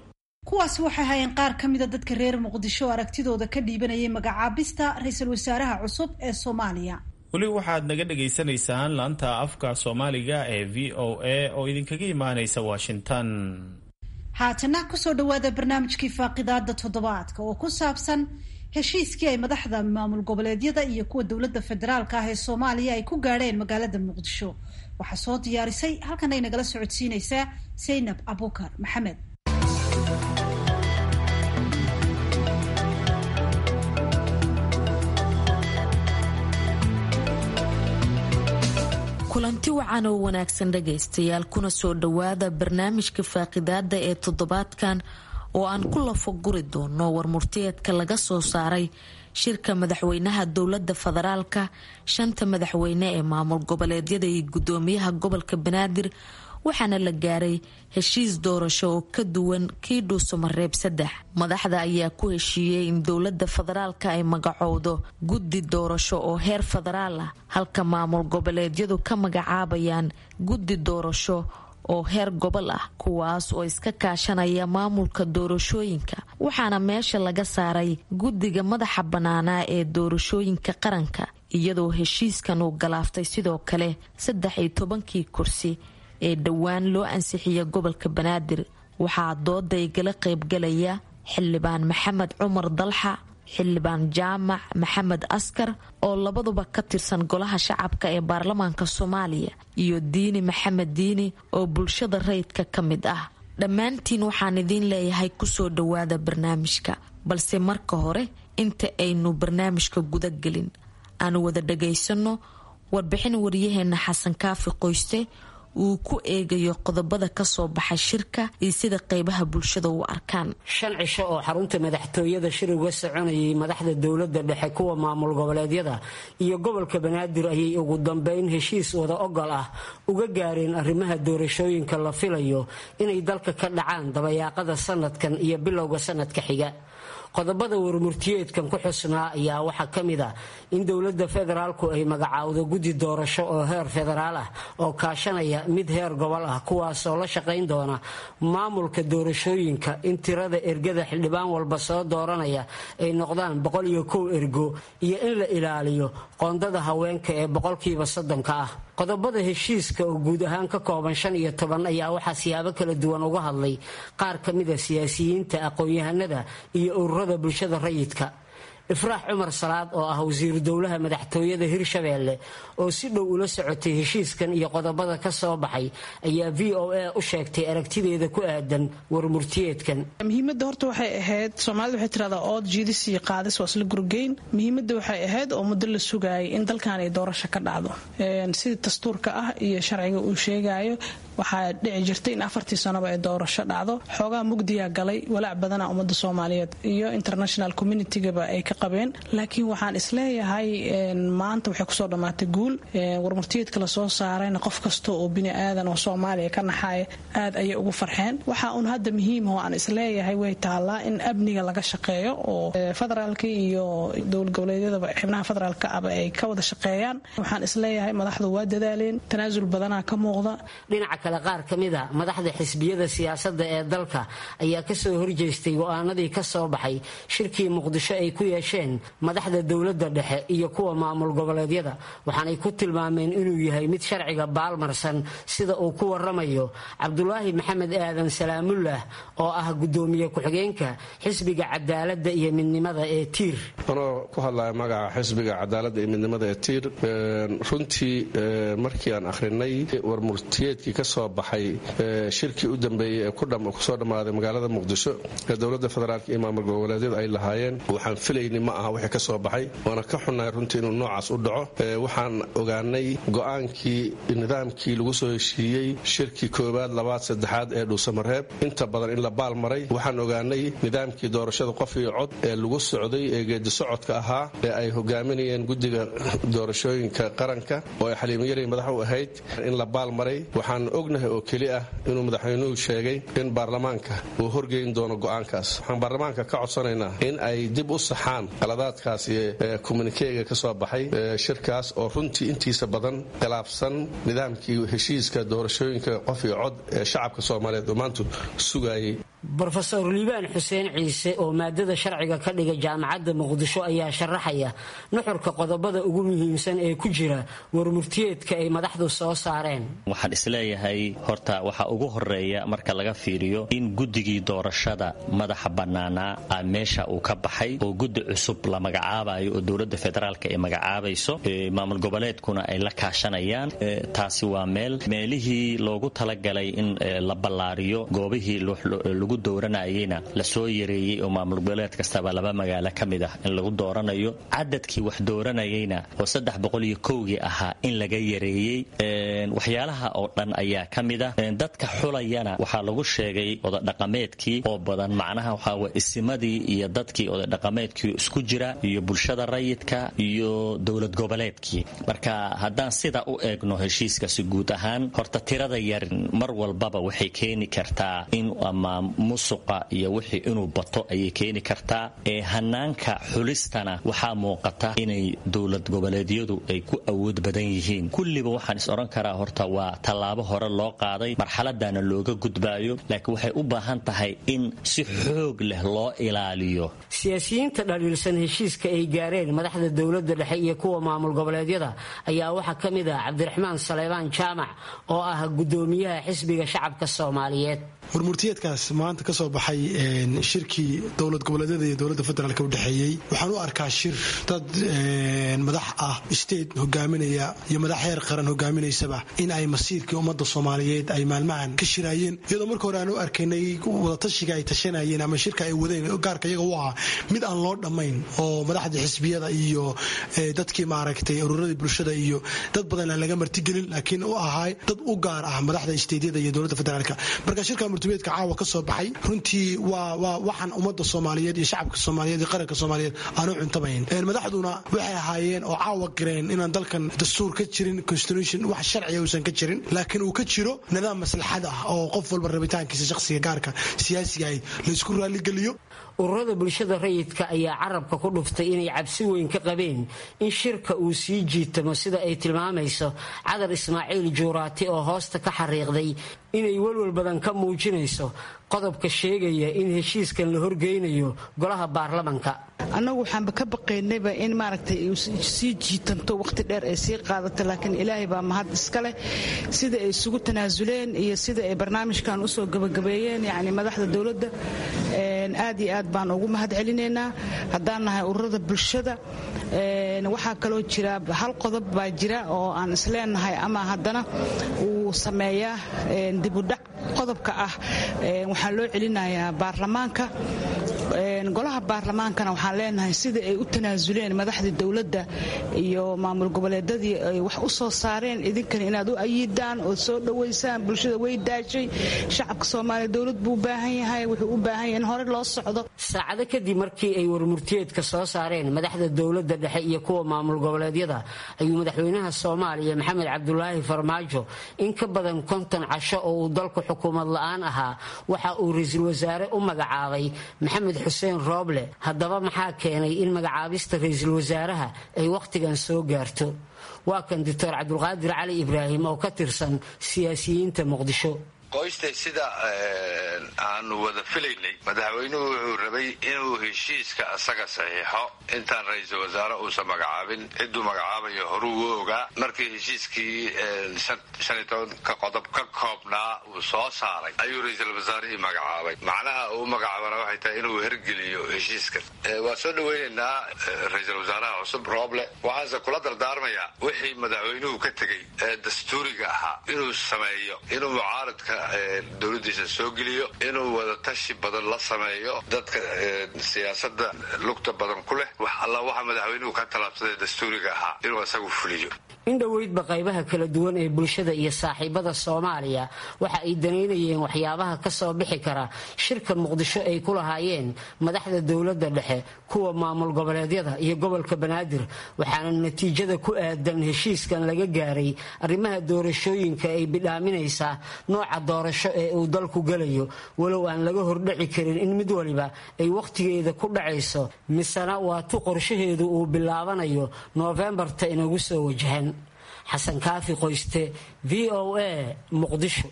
Kuwaasi waxay hayeen qaar ka mida dadka reer Muqdisho oo aragtidooda ka dhiibanayay magacaabista ra-iisul wasaaraha cusub ee Soomaaliya. Weli waxaad naga dhagaysanaysaan laanta afka Soomaaliga ee VOA oo idinkaga imaanaysa Washington. Haatana kusoo dhawaada barnaamijkii faaqidaada toddobaadka oo ku saabsan heshiiskii ay madaxda maamul goboleedyada iyo kuwa dowladda federaalka ah ee Soomaaliya ay ku gaadheen magaalada Muqdisho. Waxaa soo diyaarisay halkan ay nagala socodsiinaysaa Saynab Abukar Maxamed. Kulanti wacan oo wanaagsan dhagaystayaal, kuna soo dhowaada barnaamijka faaqidaada ee toddobaadkan oo aan ku lafo guri doono warmurtiyeedka laga soo saaray shirka madaxweynaha dowlada federaalka, shanta madaxweyne ee maamul goboleedyada iyo gudoomiyaha gobolka Banaadir, waxaana la gaaray heshiis doorasho oo ka duwan kii Dhuusamareeb 3. Madaxda ayaa ku heshiiyey in dowlada federaalka ay magacowdo guddi doorasho oo heer federaal ah, halka maamul goboleedyadu ka magacaabayaan guddi doorasho oo heer gobol ah, kuwaas oo iska kaashanaya maamulka doorashooyinka. Waxaana meesha laga saaray guddiga madaxa bannaanaa ee doorashooyinka qaranka, iyadoo heshiiskan uu galaaftay sidoo kale 13-kii kursi ee dhowaan loo ansixiya gobolka Banaadir. Waxaa dooda igala qaybgalaya Xildhibaan Maxamed Cumar Dalxa, Xildhibaan Jaamac Maxamed Askar oo labaduba ka tirsan Golaha Shacabka ee baarlamaanka Soomaaliya, iyo Diini Maxamed Diini oo bulshada rayidka ka mid ah. Dhammaantiin waxaan idiin leeyahay kusoo dhowaada barnaamijka, balse marka hore inta aynu barnaamijka gudagelin aanu wada dhagaysano warbixin wariyaheena Xasan Kaafi Qoyste uu ku eegayo qodobada kasoo baxay shirka iyo sida qeybaha bulshada u arkaan. 5 cisho oo xarunta madaxtooyada shir uga soconayay madaxda dowladda dhexe, kuwa maamul goboleedyada iyo gobolka Banaadir ayay ugu dambeyn heshiis wada ogol ah uga gaareen arrimaha doorashooyinka la filayo inay dalka ka dhacaan dabayaaqada sanadkan iyo bilowga sanadka xiga. Qodobada warmurtiyeedkan ku xusnaa ayaa waxaa ka mid ah in dowladda federaalku ay magacaawdo guddi doorasho oo heer federaal ah oo kaashanaya mid heer gobol ah, kuwaasoo la shaqayn doona maamulka doorashooyinka, in tirada ergada xildhibaan walba soo dooranaya ay noqdaan 101 ergo, iyo in la ilaaliyo qoondada haweenka ee 30%-ka ah. Qodobada heshiiska oo guud ahaan ka kooban 15 ayaa waxaa siyaabo kala duwan uga hadlay qaar ka mida siyaasiyiinta, aqoon-yahanada iyo ururada bulshada rayidka. Ifraax Cumar Salaad oo ah wasiiru dowlaha madaxtooyada Hirshabeelle oo si dhow ula socotay heshiiskan iyo qodobada ka soo baxay ayaa VOA u sheegtay aragtideeda ku aadan warmurtiyeedkan. Muhiimadda horta waxay ahayd, Soomaalida waxay tiradaa ood jiidis iyo qaadis waa isla gurgeyn. Muhiimadda waxay ahayd oo muddo la sugaayay in dalkan ay doorasho ka dhacdo sidii dastuurka ah iyo sharciga uu sheegayo. Waxaa dhici jirtay in 4-tii sanoba ay doorasho dhacdo. Xoogaa mugdiyaa galay, walaac badana ummadda Soomaaliyeed iyo international communitygaba ay ka qabeen, laakiin waxaan isleeyahay maanta waxay kusoo dhammaatay guul. Warmurtiyeedka lasoo saarayna qof kasta oo bini aadan oo Soomaaliya ka naxaya aad ayay ugu farxeen. Waxaa uun hadda muhiim oo aan isleeyahay way taallaa in amniga laga shaqeeyo oo federaalka iyo dowlad goboleedyadaba xibnaha federaalka aba ay ka wada shaqeeyaan. Waxaan isleeyahay madaxdu waa dadaaleen, tanaasul badanaa ka muuqda. Dhinaca kale, qaar ka mid a madaxda xisbiyada siyaasadda ee dalka ayaa kasoo horjeestay go-aanadii ka soo baxay shirkii Muqdisho ay ku yeesheen madaxda dowladda dhexe iyo kuwa maamul goboleedyada, waxaanay ku tilmaameen inuu yahay mid sharciga baalmarsan, sida uu ku waramayo Cabdulaahi Maxamed Aadan Salaamullah oo ah gudoomiye ku-xigeenka xisbiga Cadaaladda iyo Midnimada ee Tiir. Anoo ku hadlaya magaca xisbiga Cadaaladda iyo Midnimada ee Tiir, runtii markii aan akhrinay warmurtiyeedkii ka soo baxay shirkii u dambeeyey ee kusoo dhammaaday magaalada Muqdisho ee dowladda federaalk iyo maamul goboleedyadu ay lahaayeen, waxaan filayni ma aha wixii ka soo baxay, waana ka xunnahay runtii inuu noocaas u dhaco. Waxaan ogaanay go-aankii nidaamkii lagu soo heshiiyey shirkii koowaad, labaad, saddexaad ee Dhuusamareeb inta badan in la baal maray. Waxaan ogaanay nidaamkii doorashada qof iyo cod ee lagu socday ee geedi socodka ahaa ee ay hogaaminayeen guddiga doorashooyinka qaranka oo ay Xaliimo Yarey madax u ahayd in la baal maray. Waxaan ognahay oo keli ah inuu madaxweynuhu sheegay in baarlamaanka uu horgeyn doono go'aankaas. Waxaan baarlamaanka ka codsanaynaa in ay dib u saxaan qaladaadkaas iyo communikeega ka soo baxay shirkaas oo runtii intiisa badan khilaafsan nidaamkii heshiiska doorashooyinka qof iyo cod ee shacabka soomaaliyeed oo maantu sugayay. Brofesor Liibaan Xuseen Ciise oo maadada sharciga ka dhiga Jaamacadda Muqdisho ayaa sharaxaya nuxurka qodobada ugu muhiimsan ee ku jira warmurtiyeedka ay madaxdu soo saareen. Waxaan isleeyahay horta waxaa ugu horeeya marka laga fiiriyo in guddigii doorashada madaxa bannaanaa a meesha uu ka baxay oo guddi cusub la magacaabayo oo dowladda federaalka ay magacaabayso, maamul goboleedkuna ay la kaashanayaan. Taasi waa meel meelihii loogu talagalay in la ballaariyo goobihii lagu dooranayeyna lasoo yareeyey oo maamul goboleed kastaba laba magaalo ka mid ah in lagu dooranayo, cadadkii wax dooranayeyna oo 301-gii ahaa in laga yareeyey. Waxyaalaha oo dhan ayaa ka mid ah. Dadka xulayana waxaa lagu sheegay odadhaqameedkii oo badan, macnaha waxaa way isimadii iyo dadkii odadhaqameedkii isku jira iyo bulshada rayidka iyo dowlad goboleedkii. Marka haddaan sida u eegno heshiiskasi guud ahaan, horta tirada yar mar walbaba waxay keeni kartaa in ama musuqa iyo wixii inuu bato ayay keeni kartaa. Ee hanaanka xulistana waxaa muuqata inay dowlad goboleedyadu ay ku awood badan yihiin. Kulliba waxaan is odhan karaa horta waa tallaabo hore loo qaaday, marxaladana looga gudbaayo, laakiin waxay u baahan tahay in si xoog leh loo ilaaliyo. Siyaasiyiinta dhaliilsan heshiiska ay gaareen madaxda dowladda dhexe iyo kuwa maamul goboleedyada ayaa waxaa ka mid ah Cabdiraxmaan Saleybaan Jaamac oo ah gudoomiyaha Xisbiga Shacabka Soomaaliyeed. Warmurtiyeedkaas maanta ka soo baxay shirkii dowlad goboleedyada iyo dowladda federaalk u dhexeeyey waxaan u arkaa shir dad madax ah state hogaaminaya iyo madax heer qaran hogaaminaysaba in ay masiirkii ummadda soomaaliyeed ay maalmahan ka shiraayeen, iyadoo marka hore aan u arkaynay wadatashiga ay tashanayeen ama shirka ay wadeen gaarka iyaga u ahaa mid aan loo dhammayn oo madaxdii xisbiyada iyo dadkii maaragtay ururadii bulshada iyo dad badan aan laga martigelin, laakiin u ahaa dad u gaar ah madaxda steydyada iyo dowladda federaalk. Marka shirka murtiyeedka caawa ka soo baxay runtii waa waxaan ummadda soomaaliyeed iyo shacabka soomaaliyeed iyo qaranka soomaaliyeed aanu cuntamayn. Madaxduna waxay ahaayeen oo caawa qireen inaan dalkan dastuur ka jirin, constitution wax sharciya uusan ka jirin, laakiin uu ka jiro nidaam maslaxad ah oo qof walba rabitaankiisa shakhsiga gaarka siyaasiga ah laysku raaligeliyo. Ururada bulshada rayidka ayaa carabka ku dhuftay inay cabsi weyn ka qabeen in shirka uu sii jiitamo, sida ay tilmaamayso Cadar Ismaaciil Juuraati oo hoosta ka xariiqday inay welwel badan ka muujinayso qodobka sheegaya in heshiiskan la horgeynayo golaha baarlamanka. Annagu waxaanba ka baqaynayba in maaragtay sii jiitanto, waqti dheer ay sii qaadato, laakiin ilaahay baa mahad iska leh sida ay isugu tanaasuleen iyo sida ay barnaamijkan usoo gabagabeeyeen. Yacni madaxda dowladda aad iyo aad baan ugu mahad celinaynaa haddaan nahay ururada bulshada. Waxaa kaloo jira hal qodob baa jira oo aan isleenahay ama haddana uu sameeyaa dibudhac, qodobka ah waxaa loo celinayaa baarlamaanka. Golaha baarlamaankana waxaan leenahay sida ay u tanaasuleen madaxdii dowladda iyo maamul goboleedadii ay wax u soo saareen, idinkana inaad u ayiidaan ood soo dhowaysaan. Bulshada way daashay, shacabka soomaaliya dowlad buu u baahan yahay, wuxuu u baahan yahay in hore loo socdo. Saacado kadib markii ay warmurtiyeedka soo saareen madaxda dowladda dhexe iyo kuwa maamul goboleedyada ayuu madaxweynaha Soomaaliya Maxamed Cabdulaahi Farmaajo in ka badan 50 casho oo uu dalku xukuumad la-aan ahaa waxa uu ra-iisul wasaare u magacaabay Maxamed Xuseen Rooble. Haddaba maxaa keenay in magacaabista ra-iisul wasaaraha ay wakhtigan soo gaarto? Waa kan Doctor Cabdulqaadir Cali Ibraahim oo ka tirsan siyaasiyiinta Muqdisho. Qoystay sida aanu wada filaynay, madaxweynuhu wuxuu rabay inuu heshiiska asaga saxiixo intaan ra-iisul wasaare uusan magacaabin. Cidduu magacaabayo horuu u ogaa. Markii heshiiskii 15-ka qodob ka koobnaa uu soo saaray ayuu ra-iisul wasaarihii magacaabay. Macnaha uu magacaabana waxay tahay inuu hergeliyo heshiiskan. Waa soo dhaweynaynaa ra-iisul wasaaraha cusub Rooble, waxaanse kula dardaarmayaa wixii madaxweynuhu ka tegey ee dastuuriga ahaa inuu sameeyo, inuu mucaaradka dowladdiisa soo geliyo, inuu wadatashi badan la sameeyo dadka siyaasadda lugta badan ku leh. Wax alla waxa madaxweynuhu ka tallaabsaday dastuuriga ahaa inuu isagu fuliyo. In dhoweydba qaybaha kala duwan ee bulshada iyo saaxiibada Soomaaliya waxa ay danaynayeen waxyaabaha ka soo bixi kara shirka Muqdisho ay ku lahaayeen madaxda dowladda dhexe, kuwa maamul goboleedyada iyo gobolka Banaadir, waxaana natiijada ku aadan heshiiskan laga gaaray arrimaha doorashooyinka ay bidhaaminaysaa nooca doorasho ee uu dalku gelayo, walow aan laga hordhaci karin in mid waliba ay wakhtigeeda ku dhacayso, misena waa tu qorshaheedu uu bilaabanayo Noofembarta inagu soo wajahan. Xasan Kaafi Qoyste, V O A, Muqdisho.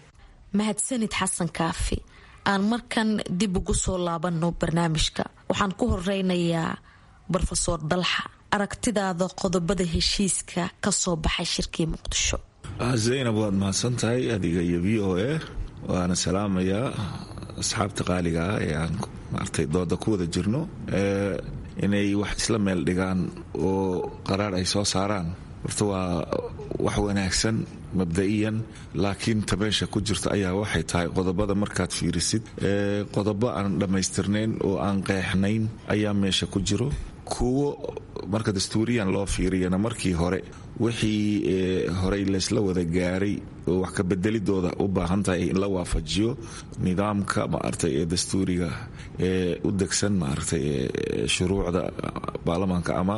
Mahadsanid Xasan Kaafi. Aan markan dib ugu soo laabano barnaamijka. Waxaan ku horeynayaa Brofesor Dalxa, aragtidaada qodobada heshiiska kasoo baxay shirkii Muqdisho. Zaynab, waad mahadsan tahay adiga iyo V O A, waana salaamayaa asxaabta qaaliga ah ee aan maartay dooda ku wada jirno. Inay wax isla meel dhigaan oo qaraar ay soo saaraan horta waa wax wanaagsan mabda'iyan, laakiin ta meesha ku jirta ayaa waxay tahay qodobada markaad fiirisid, qodobo aan dhammaystirnayn oo aan qeexnayn ayaa meesha ku jiro. Kuwo marka dastuuriyan loo fiiriyana markii hore wixii horey laysla wada gaaray oo wax ka bedelidooda u baahan tahay in la waafajiyo nidaamka maaragtay ee dastuuriga ee u degsan maaragtay ee shuruucda baarlamaanka ama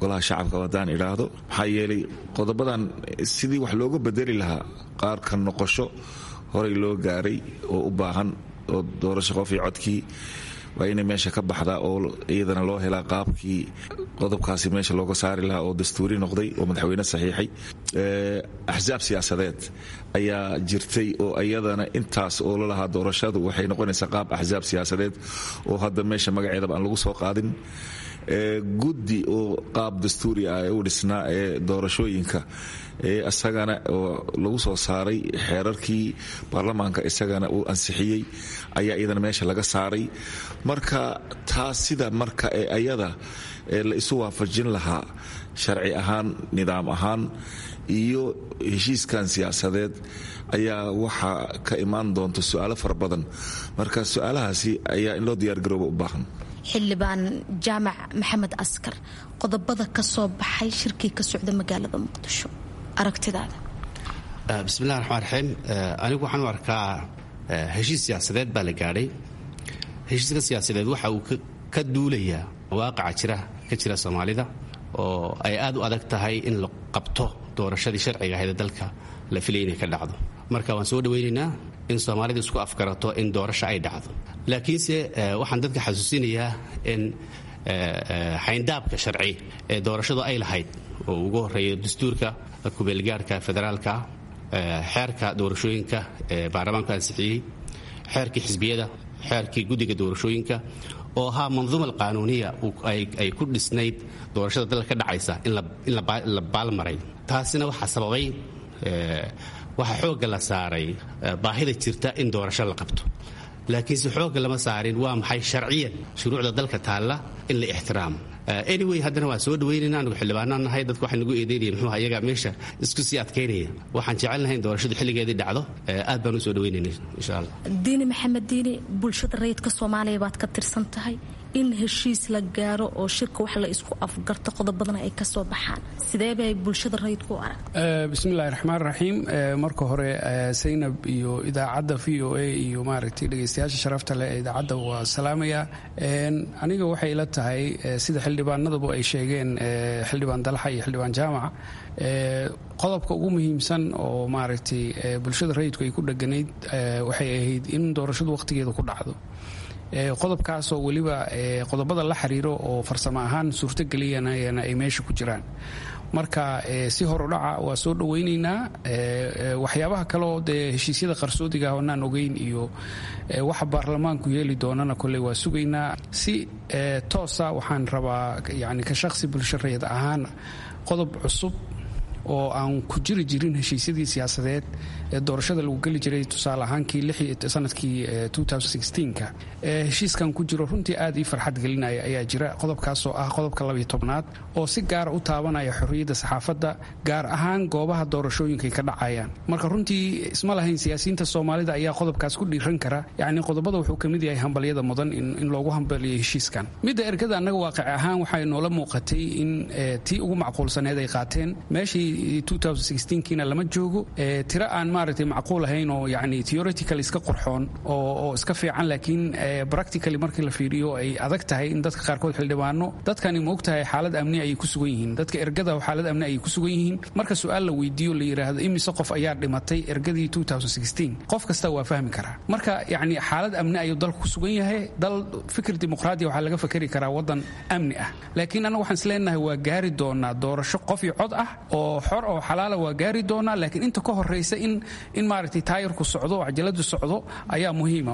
golaha shacabka haddaan idhaahdo. Maxaa yeelay qodobadan sidii wax looga bedeli lahaa qaarka noqosho horey loo gaaray oo u baahan oo doorasho qof iyo codkii waa inay meesha ka baxdaa oo iyadana loo helaa qaabkii qodobkaasi meesha looga saari lahaa oo dastuuri noqday oo madaxweyne saxiixay. Axsaab siyaasadeed ayaa jirtay oo iyadana intaas oo lalahaa doorashadu waxay noqonaysaa qaab axsaab siyaasadeed oo hadda meesha magaceedaba aan lagu soo qaadin. Guddi oo qaab dastuuri ah ee u dhisnaa ee doorashooyinka isagana oo lagu soo saaray xeerarkii baarlamaanka isagana uu ansixiyey ayaa iyadana meesha laga saaray. Marka taas sida marka ee ayada la isu waafajin lahaa sharci ahaan, nidaam ahaan iyo heshiiskan siyaasadeed ayaa waxaa ka imaan doonta su-aalo fara badan. Marka su-aalahaasi ayaa in loo diyaargarooba u baahan. Xildhibaan Jaamac Maxamed Askar, qodobada ka soo baxay shirkii ka socda magaalada Muqdisho, aragtidaada. Bismillahi raxmaan raxiim. Anigu waxaan u arkaa heshiis siyaasadeed baa la gaadhay. Heshiiska siyaasadeed waxa uu ka duulayaa waaqaca jira ka jira Soomaalida oo ay aad u adag tahay in la qabto doorashadii sharciga ahayd ee dalka la filaya inay ka dhacdo. Marka waan soo dhawaynaynaa in Soomaalida isku afgarato in doorasho ay dhacdo, laakiinse waxaan dadka xasuusinayaa in xayndaabka sharci ee doorashadu ay lahayd oo ugu horeeyo dastuurka kubeelgaarka federaalka, xeerka doorashooyinka ee baarlamaanku ansixiyey, xeerkii xisbiyada, xeerkii guddiga doorashooyinka oo ahaa manduuma alqaanuuniya ay ku dhisnayd doorashada dalka ka dhacaysa in la baalmaray. Taasina waxaa sababay waxaa xoogga la saaray baahida jirta in doorasho la qabto, laakiinse xoogga lama saarin waa maxay sharciyan shuruucda dalka taalla in la ixtiraamo. Anyway, haddana waan soo dhaweynayna, anigu xildhibaanaan nahay. Dadku waxay nagu eedeynaya muxuu iyaga meesha isku sii adkaynaya. Waxaan jecelnahay in doorashadu xilligeedii dhacdo, aad baan u soo dhaweynayna insha Allah. Diini Maxamed Diini, bulshada rayidka Soomaaliya baad ka tirsan tahay, in heshiis la gaaro oo shirka wax la isku afgarto qodobadana ay ka soo baxaan, sidee bay bulshada rayidku u aragta? Bismillahi raxmaan raxiim. Marka hore Saynab iyo idaacadda V O A iyo maaragtay dhegeystayaasha sharafta leh ee idaacadda waa salaamaya. Aniga waxay ila tahay sida xildhibaanaduba ay sheegeen, xildhibaan Dalxa iyo xildhibaan Jaamac, qodobka ugu muhiimsan oo maaragtay bulshada rayidku ay ku dheganayd waxay ahayd in doorashadu wakhtigeeda ku dhacdo. Qodobkaasoo weliba qodobada la xiriiro oo farsamo ahaan suurtogeliyanayana ay meesha ku jiraan. Marka si horudhaca waa soo dhawaynaynaa. Waxyaabaha kaleoo dee heshiisyada qarsoodiga ah oonaan ogeyn iyo waxa baarlamaanku yeeli doonana kolley waa sugaynaa. Si toosa waxaan rabaa yani ka shaqsi bulsho rayid ahaan qodob cusub oo aan ku jiri jirin heshiisyadii siyaasadeed ee doorashada lagu geli jiray, tusaale ahaankii sanadkii ka heshiiskan ku jiro, runtii aad ii farxad gelinaya ayaa jira. Qodobkaasoo ah qodobka 12aad oo si gaara u taabanaya xorriyadda saxaafadda, gaar ahaan goobaha doorashooyinkaay ka dhacayaan. Marka runtii isma lahayn siyaasiyiinta Soomaalida ayaa qodobkaas ku dhiiran kara. Yacni qodobada wuxuu ka mid yahay hambalyada mudan in loogu hambaliyo heshiiskan. Midda ergada, annaga waaqic ahaan waxay noola muuqatay in tii ugu macquulsaneed ay qaateen. Meeshii kiina lama joogo. Tiro aan maaragtay macquul ahayn oo yacni theoretical iska qurxoon oo iska fiican, laakiin practically markii la fiiriyo ay adag tahay in dadka qaarkood xildhibaano. Dadkani ma ogtahay xaalad amni ayay ku sugan yihiin, dadka ergada xaalad amni ayay ku sugan yihiin. Marka su-aal la weydiiyo, la yidhaahdo imise qof ayaa dhimatay ergadii qof kasta waa fahmi karaa. Marka yacni xaalad amni ayuu dalku ku sugan yahay. Dal fikir dimuqraadiya waxaa laga fakeri karaa waddan amni ah, laakiin annaga waxaan isleenahay waa gaari doonaa doorasho qof iyo cod ah oo xor oo xalaala, waa gaari doonaa. Laakiin inta ka horraysa in maaragtay taayirku socdo oo cajaladu socdo ayaa muhiima.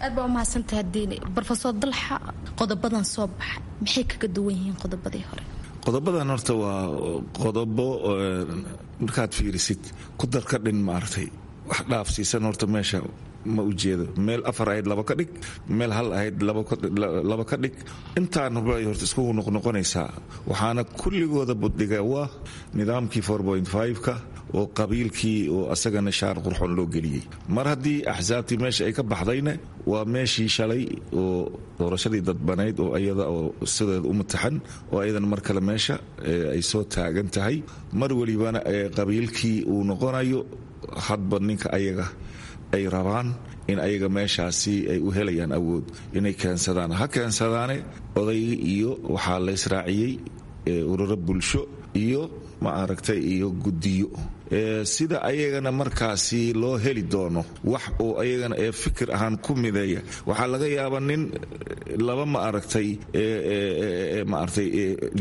Aad baa umahadsantaha Diini. Brofesor Dalxa, qodobadan soo baxay maxay kaga duwan yihiin qodobadii hore? Qodobadan horta waa qodobo markaad fiirisid ku dar ka dhin, maaragtay wax dhaafsiisan horta meesha ma ujeedo. Meel afar ahayd laba ka dhig, meel hal ahayd laba ka dhig, intaan bay horta iskugu noqnoqonaysaa. Waxaana kulligooda buddhiga waa nidaamkii ka oo qabiilkii oo asagana shaar qurxoon loo geliyey. Mar haddii axsaabtii meesha ay ka baxdayna, waa meeshii shalay oo doorashadii dadbanayd oo iyada oo sideeda u mataxan oo ayadana mar kale meesha ay soo taagan tahay. Mar welibana qabiilkii uu noqonayo hadba ninka ayaga ay rabaan in ayaga meeshaasi ay u helayaan awood inay keensadaan, ha keensadaane. Oday iyo waxaa la israaciyey ururo bulsho iyo ma aragtay iyo guddiyo, sida ayagana markaasi loo heli doono wax oo ayagana ee fikir ahaan ku mideeya. Waxaa laga yaabaa nin laba ma aragtay maaragtay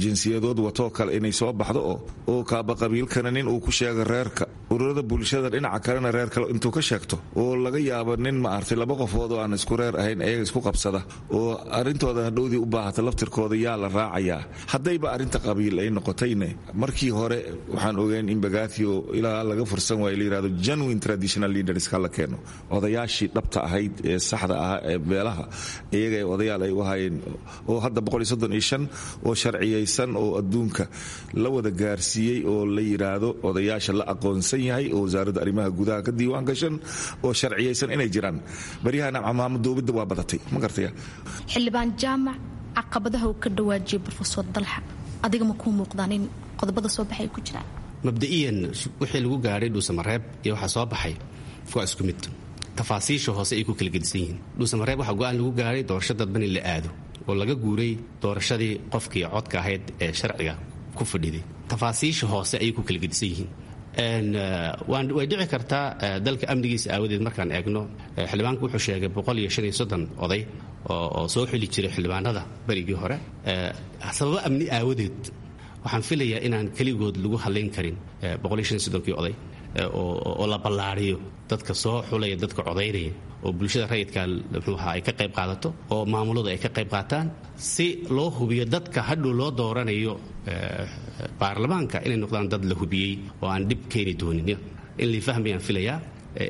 jinsiyadood watoo kale inay soo baxdo oo kaaba qabiilkana nin uu ku sheego reerka, ururada bulshada dhinaca kalena reer kale intuu ka sheegto, oo laga yaabo nin maaragtay laba qofood oo aan isku reer ahayn ayaga isku qabsada oo arrintooda hadhowdii u baahata laftirkooda yaa la raacayaa. Haddayba arrinta qabiil ay noqotayne, markii hore waxaan ogeyn in Bagathio ilaa laga fursan waayo la yirahdo genuine traditional leaders ka la keeno, odayaashii dhabta ahayd ee saxda ahaa ee beelaha iyaga ee odayaal ay u ahaayeen, oo hadda oo sharciyaysan oo adduunka la wada gaarsiiyey oo la yiraahdo odayaasha la aqoonsan yahay oo wasaaradda arrimaha gudaha ka diiwaan gashan oo sharciyaysan inay jiraan. Baryahana camaamadoobidda waa badatay, ma gartaya? Xildhibaan Jaamac, caqabadaha uu ka dhawaajiyay Brofesor Dalxa adiga ma kuu muuqdaan in qodobada soo baxay ay ku jiraan? Mabda'iyan wixii lagu gaadhay Dhuusamareeb iyo waxaa soo baxay waa isku mid, tafaasiisha hoose ay ku kala gedisan yihiin. Dhuusamareeb waxaa go-aan lagu gaadhay doorasho dadban in la aado oo laga guuray doorashadii qofkii codka ahayd ee sharciga ku fadhiday. Tafaasiisha hoose ayay ku kala gedisan yihiin. Way dhici kartaa dalka amnigiisa aawadeed markaan eegno. Xildhibaanku wuxuu sheegay 135 oday oo soo xili jiray xildhibaanada berigii hore. Sababo amni aawadeed waxaan filayaa inaan keligood lagu hadlayn karin 135-kii oday, oo la ballaariyo dadka soo xulaya, dadka codaynaya, oo bulshada rayidka muxuu ahaa ay ka qayb qaadato oo maamuladu ay ka qayb qaataan, si loo hubiyo dadka hadhow loo dooranayo baarlamaanka inay noqdaan dad la hubiyey oo aan dhib keeni doonin. In la fahmayaan filayaa.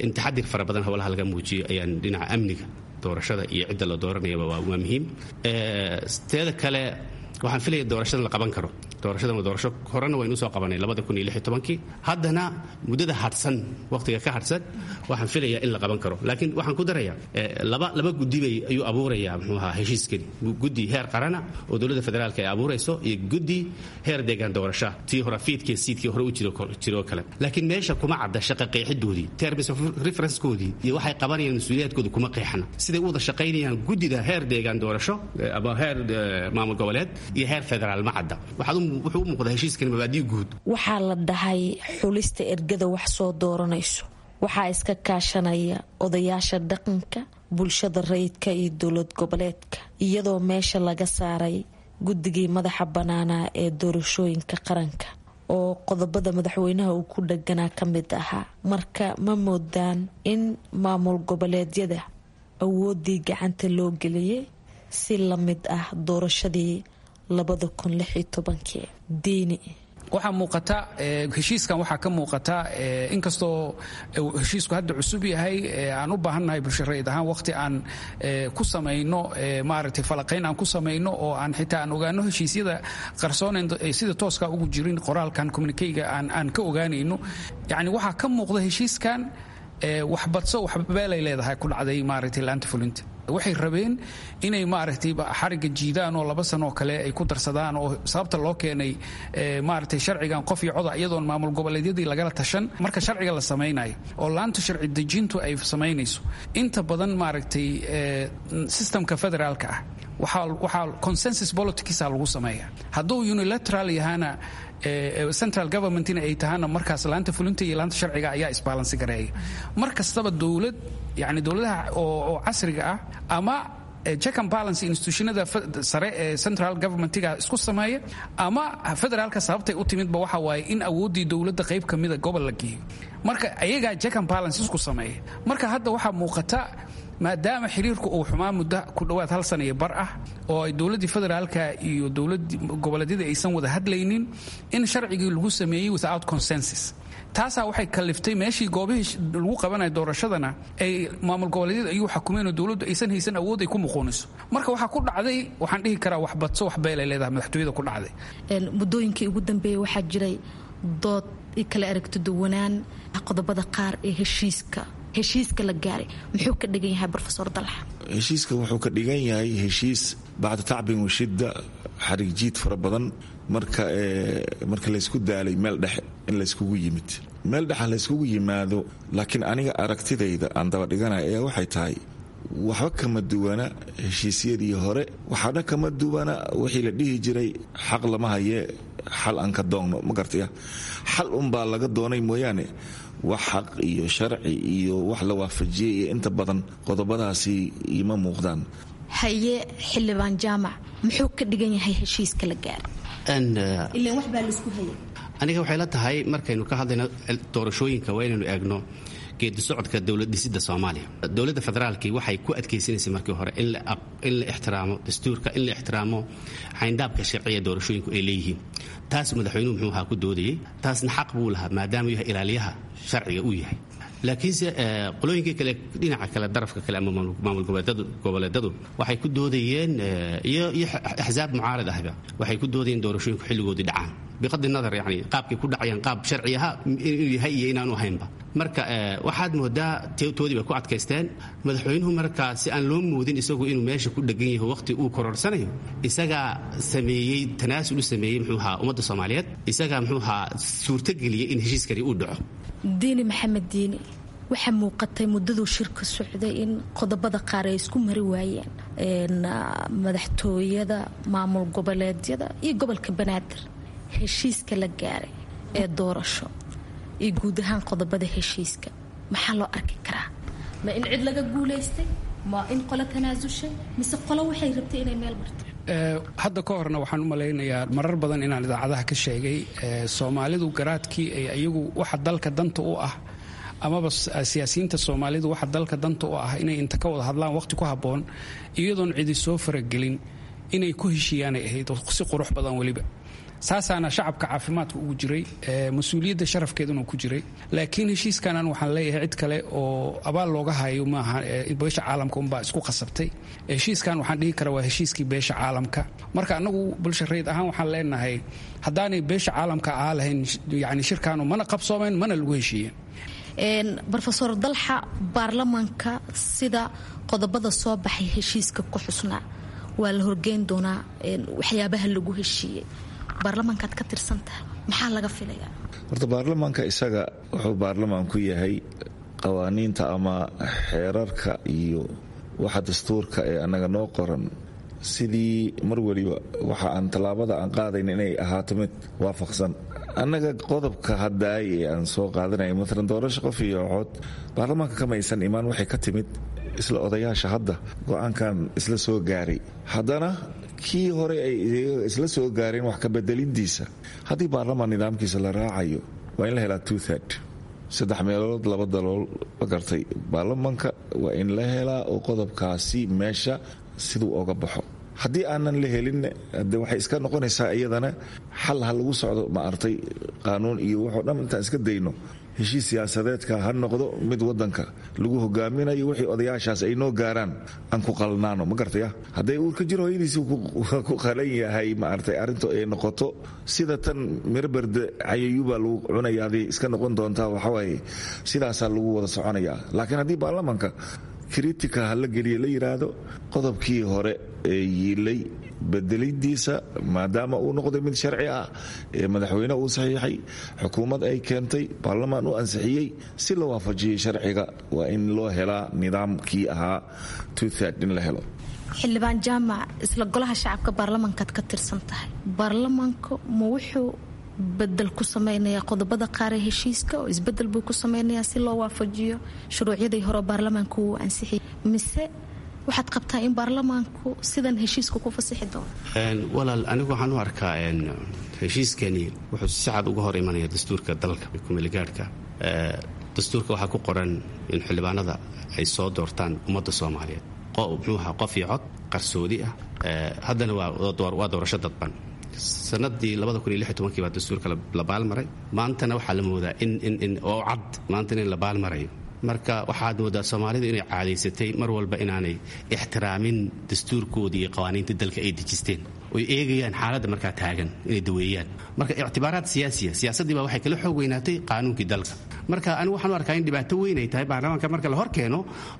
In taxadir fara badan howlaha laga muujiyo ayaan dhinaca amniga doorashada iyo cidda la dooranayaba waa muhiim. Teeda kale, waxaan filaya doorashadan la qaban karo. Doorashadan waa doorasho horena waynu soo qabanay 2016-kii. Haddana muddada hadhsan, waqtiga ka hadhsan, waxaan filayaa in la qaban karo. Laakiin waxaan ku darayaa laba guddi bay ayuu abuurayaa muxuu ahaa heshiiskani: guddi heer qarana oo dowladda federaalka ay abuurayso iyo guddi heer deegaan doorasha, tii hore FEIT-kii SEIT-kii hore u jiro kale. Laakiin meesha kuma cadda shaqa qeexidoodii, terms of reference-koodii iyo waxay qabanayaan, mas-uuliyaadkooda kuma qeexna, siday u wada shaqaynayaan guddida heer deegaan doorasho ama heer maamul goboleed iyo heer federaal ma cadda. Wuxuu u muuqdaa heshiiskan mabaadii guud. Waxaa la dhahay xulista ergada wax soo dooranayso waxaa iska kaashanaya odayaasha dhaqanka, bulshada rayidka iyo dowlad goboleedka, iyadoo meesha laga saaray guddigii madaxa bannaanaa ee doorashooyinka qaranka oo qodobada madaxweynaha uu ku dhaganaa ka mid ahaa. Marka ma moodaan in maamul goboleedyada awooddii gacanta loo geliyay si la mid ah doorashadii 2016-kii, Diini? Waxaa muuqata heshiiskan, waxaa ka muuqata inkastoo heshiisku hadda cusub yahay, aan u baahannahay bulsho rayid ahaan waqti aan ku samayno maaragtay falaqayn aan ku samayno, oo aan xitaa aan ogaano heshiisyada qarsoon sida tooska ugu jirin qoraalkan communikeyga aan ka ogaanayno. Yacni waxaa ka muuqda heshiiskan waxbadso waxbeelay leedahay ku dhacday maaragtay laanta fulinta. Waxay rabeen inay maaragtay xarigga jiidaan oo 2 sano oo kale ay ku darsadaan, oo sababta loo keenay maaragtay sharcigan qof iyo coda iyadoon maamul goboleedyadii lagala tashan. Marka sharciga la samaynayo oo laanta sharci dejintu ay samaynayso, inta badan maaragtay systemka federaalka ah waxaa consensus politicsa lagu sameeya. Hadduu unilateral yahana, central governmentina ay tahana, markaas laanta fulinta iyo laanta sharciga ayaa isbaalansi gareeya. Mar kastaba dowlad, yani dowladaha oo casriga ah, ama check and balance institutionada sare ee central governmentiga isku sameeya, ama federaalka sababtay u timidba waxa waaye in awooddii dowladda qayb ka mida gobol la geeyo. Marka ayagaa check and balance isku sameeya. Marka hadda waxaa muuqata, maadaama xiriirku uu xumaa muddo ku dhowaad hal sana iyo bar ah, oo ay dowladdii federaalka iyo dowlad goboleedyada aysan wada hadlaynin, in sharcigii lagu sameeyey without consensus. Taasaa waxay kaliftay meeshii goobihii lagu qabanayo doorashadana ay maamul goboleedyada ayuu xakumeen, oo dowladdu aysan haysan awood ay ku muquuniso. Marka waxaa ku dhacday, waxaan dhihi karaa, wax badso wax beelay leedahay madaxtooyada ku dhacday. Muddooyinkii ugu dambeeyey waxaa jiray dood i kala aragti duwanaan qodobada qaar ee heshiiska la gaaray. Muxuu ka dhigan yahay, Brofesor Dalxa? Heshiiska wuxuu ka dhigan yahay heshiis bacda tacbin washidda, xarigjiid fara badan, marka laysku daalay meel dhexe in layskugu yimid, meel dhexa layskugu yimaado. Laakiin aniga aragtidayda aan daba dhiganaya ayaa waxay tahay waxba kama duwana heshiisyadii hore, waxaana kama duwana wixii la dhihi jiray xaq lama hayee, xal aan ka doonno. Ma gartaya, xal unbaa laga doonay mooyaane wax xaq iyo sharci iyo wax la waafajiyey iyo inta badan qodobadaasi ima muuqdaan. Haye, xildhibaan Jaamac, muxuu ka dhigan yahay heshiiska la gaaray? Ilaan wax baa laisku hayay. Aniga waxay la tahay markaynu ka hadlayno doorashooyinka waa inaynu eegno geedi socodka dowlad dhisidda Soomaaliya. Dowladda federaalkii waxay ku adkaysanaysay markii hore in la ixtiraamo dastuurka, in la ixtiraamo xayndaabka sharciya doorashooyinku ay leeyihiin. Taas madaxweynuhu muxuu ahaa ku doodayey, taasna xaq buu lahaa maadaama yahay ilaaliyaha sharciga uu yahay. Laakiinse qolooyinkii kale, dhinaca kale, darafka kale ama maamul goboleedadu waxay ku doodayeen, iyo axsaab mucaarad ahba waxay ku doodayeen doorashooyinku xilligoodii dhacaan, biqadi nadar yani qaabkay ku dhacayaan qaab sharci aha inuu yahay iyo inaanu ahaynba. Marka waxaad moodaa toodii bay ku adkaysteen. Madaxweynuhu markaa si aan loo moodin isagu inuu meesha ku dhegan yaho waqti uu kororsanayo, isagaa sameeyey tanaasul u sameeyey muxuu ahaa ummadda Soomaaliyeed, isagaa muxuu ahaa suurtageliyey in heshiiskani uu dhaco. Diini Maxamed Diini, waxaa muuqatay muddaduu shirka socday in qodobada qaar ay isku mari waayeen madaxtooyada, maamul goboleedyada iyo gobolka Banaadir. Heshiiska la gaaray ee doorasho iyo guud ahaan qodobada heshiiska maxaa loo arki karaa? Ma in cid laga guulaystay, ma in qolo tanaasushay, mise qolo waxay rabtay inay meel marto? Hadda ka horna waxaan u malaynayaa marar badan inaan idaacadaha ka sheegay, Soomaalidu garaadkii ay iyagu waxa dalka danta u ah, amaba siyaasiyiinta Soomaalidu waxa dalka danta u ah inay inta ka wada hadlaan waqti ku habboon iyadoon cidi soo faragelin inay ku heshiiyaanay ahayd si qurux badan weliba. Saasaana shacabka caafimaadka ugu jiray, mas-uuliyadda sharafkeeduna ku jiray. Laakiin heshiiskanan waxaan leeyahay cid kale oo abaal looga hayo maaha, beesha caalamka unbaa isku qasabtay. Heshiiskan waxaan dhihi karaa waa heshiiskii beesha caalamka. Marka annagu bulsha rayid ahaan waxaan leenahay haddaanay beesha caalamka ahaa lahayn, yani shirkaanu mana qabsoomeen mana lagu heshiiyeen. Brofesor Dalxa, baarlamaanka sida qodobada soo baxay heshiiska ku xusnaa waa la horgeyn doonaa waxyaabaha lagu heshiiyey. Baarlamaankaad ka tirsantaha, maxaa laga filayaa? Horta baarlamaanka isaga wuxuu baarlamaan ku yahay qawaaniinta ama xeerarka iyo waxa dastuurka ee annaga noo qoran, sidii mar weliba waxa aan tallaabada aan qaadayn inay ahaato mid waafaqsan annaga qodobka haddaay ee aan soo qaadanaya. Maalan doorasho qof iyo cod baarlamaanka kamaysan imaan, waxay ka timid isla odayaasha hadda go-aankan isla soo gaaray. Haddana kii hore ay isla soo gaareen wax ka bedelintiisa, haddii baarlamaan nidaamkiisa la raacayo, waa in la helaa two third, saddex meelood laba dalool, ma gartay? Baarlamaanka waa in la helaa oo qodobkaasi meesha siduu oga baxo. Haddii aanan la helin, de waxay iska noqonaysaa iyadana xal ha lagu socdo, maaragtay, qaanuun iyo waxoo dhan intaan iska dayno, heshiis siyaasadeedka ha noqdo mid wadanka lagu hogaaminayo. Wixii odayaashaas ay noo gaaraan aan ku qalnaano, ma gartaya? Hadday uurka jir hooyadiisi ku qalan yahay, maaragtay, arrintu ay noqoto sida tan mirberde cayayuubaa lagu cunayaabay iska noqon doontaa. Waxawaaye sidaasaa lagu wada soconayaa. Laakiin haddii baarlamanka kritika ha la geliya la yidhaahdo, qodobkii hore ee yiilay bedelidiisa, maadaama uu noqday mid sharci ah ee madaxweyne uu saxiixay, xukuumad ay keentay, baarlamaan u ansixiyey, si la waafajiyey sharciga, waa in loo helaa nidaamkii ahaa two-third in la helo. Xildhibaan Jaamac, isla golaha shacabka baarlamankaad ka tirsan tahay, baarlamanku ma wuxuu bedel ku samaynayaa qodobada qaar ee heshiiska oo isbedel buu ku sameynayaa si loo waafajiyo shuruucyadii hore baarlamaanku uu ansixiyay, mise waxaad qabtaa in baarlamaanku sidan heshiiska ku fasixi doono? Walaal, anigu waxaan u arkaa heshiiskani wuxuu si cad uga hor imanaya dastuurka dalka kumeelgaadhka. Dastuurka waxaa ku qoran in xildhibaanada ay soo doortaan ummadda Soomaaliyeed, muxuu ahaa, qof iyo cod qarsoodi ah. Haddana waa doorasho dadban. Sanadii baa dastuurka la baalmaray. Maantana waxaa la moodaa in oo cad maantana in la baalmarayo. Marka waxaad moodaa Soomaalidu inay caadaysatay mar walba inaanay ixtiraamin dastuurkoodii iyo qawaaniinta dalka ay dejisteen, oy eegayaan xaaladda markaa taagan inay daweeyaan. Marka ictibaaraad siyaasiya, siyaasaddii baa waxay kala xoog weynaatay qaanuunkii dalka. Marka anigu waxaan u arkaa in dhibaato weyn ay tahay baarlamaanka marka la hor keeno,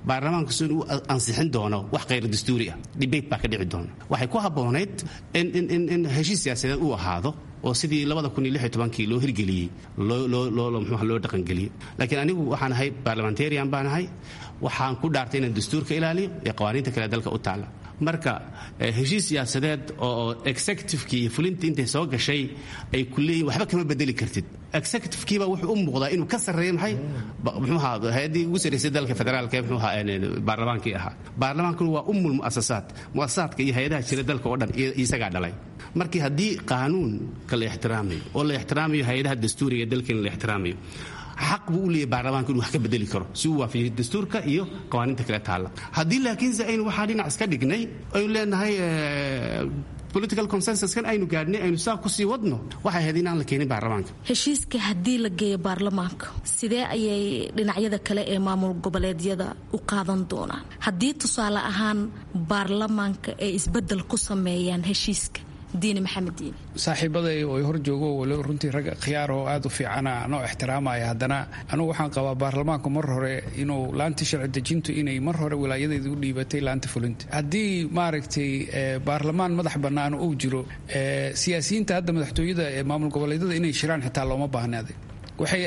baarlamaanku si inuu ansixin doono wax khayr dastuuri ah, debate baa ka dhici doona. Waxay ku habboonayd in heshiis siyaasadeed uu ahaado oo sidii kii loo hirgeliyey mxuuha loo dhaqangeliyey. Laakiin anigu waxaan ahay parliamentarian baan ahay. Waxaan ku dhaartay inaan dastuurka ilaaliyo iyo qawaaniinta kale dalka u taalla. Marka heshiis siyaasadeed oo executivekii iyo fulintii intay soo gashay ay ku leeyihin waxba kama bedeli kartid, executive-kiiba wuxuu u muuqdaa inuu ka sarreeya maxay, muxuuha, hay-addii ugu sarreysay dalka federaalka ee muxuuha baarlamaankii ahaa. Baarlamaankuna waa ummul mu'asasaat, mu'asasaadka iyo hay-adaha jira dalka oo dhan isagaa dhalay. Markii haddii qaanuunka la ixtiraamayo oo la ixtiraamayo hay-adaha dastuuriga ee dalkeena la ixtiraamayo, xaq buu u leeyahy baarlamaanka inuu wax ka bedeli karo si uu waafajiyo dastuurka iyo qawaaniinta kale taalla. Haddii laakiinse aynu waxaa dhinac iska dhignay, aynu leenahay political consensuskan aynu gaadhnay aynu saa kusii wadno, waxay ahayd inaan la keenin baarlamaanka. Heshiiska haddii la geeyo baarlamaanka, sidee ayay dhinacyada kale ee maamul goboleedyada u qaadan doonaan haddii tusaale ahaan baarlamaanka ay isbedel ku sameeyaan heshiiska? Diini Maxamed Diini. Saaxiibaday oo hor joogo, walo runtii rag khiyaar oo aad u fiicana anoo ixtiraamaya, haddana anugu waxaan qabaa baarlamaanku mar hore inuu laanta sharci dejintu inay mar hore wilaayadeeda u dhiibatay laanta fulinta. Haddii, maaragtay, baarlamaan madax bannaan uu jiro, siyaasiyiinta hadda madaxtooyada ee maamul goboleedyada inay shiraan xitaa looma baahnaaday. Waxay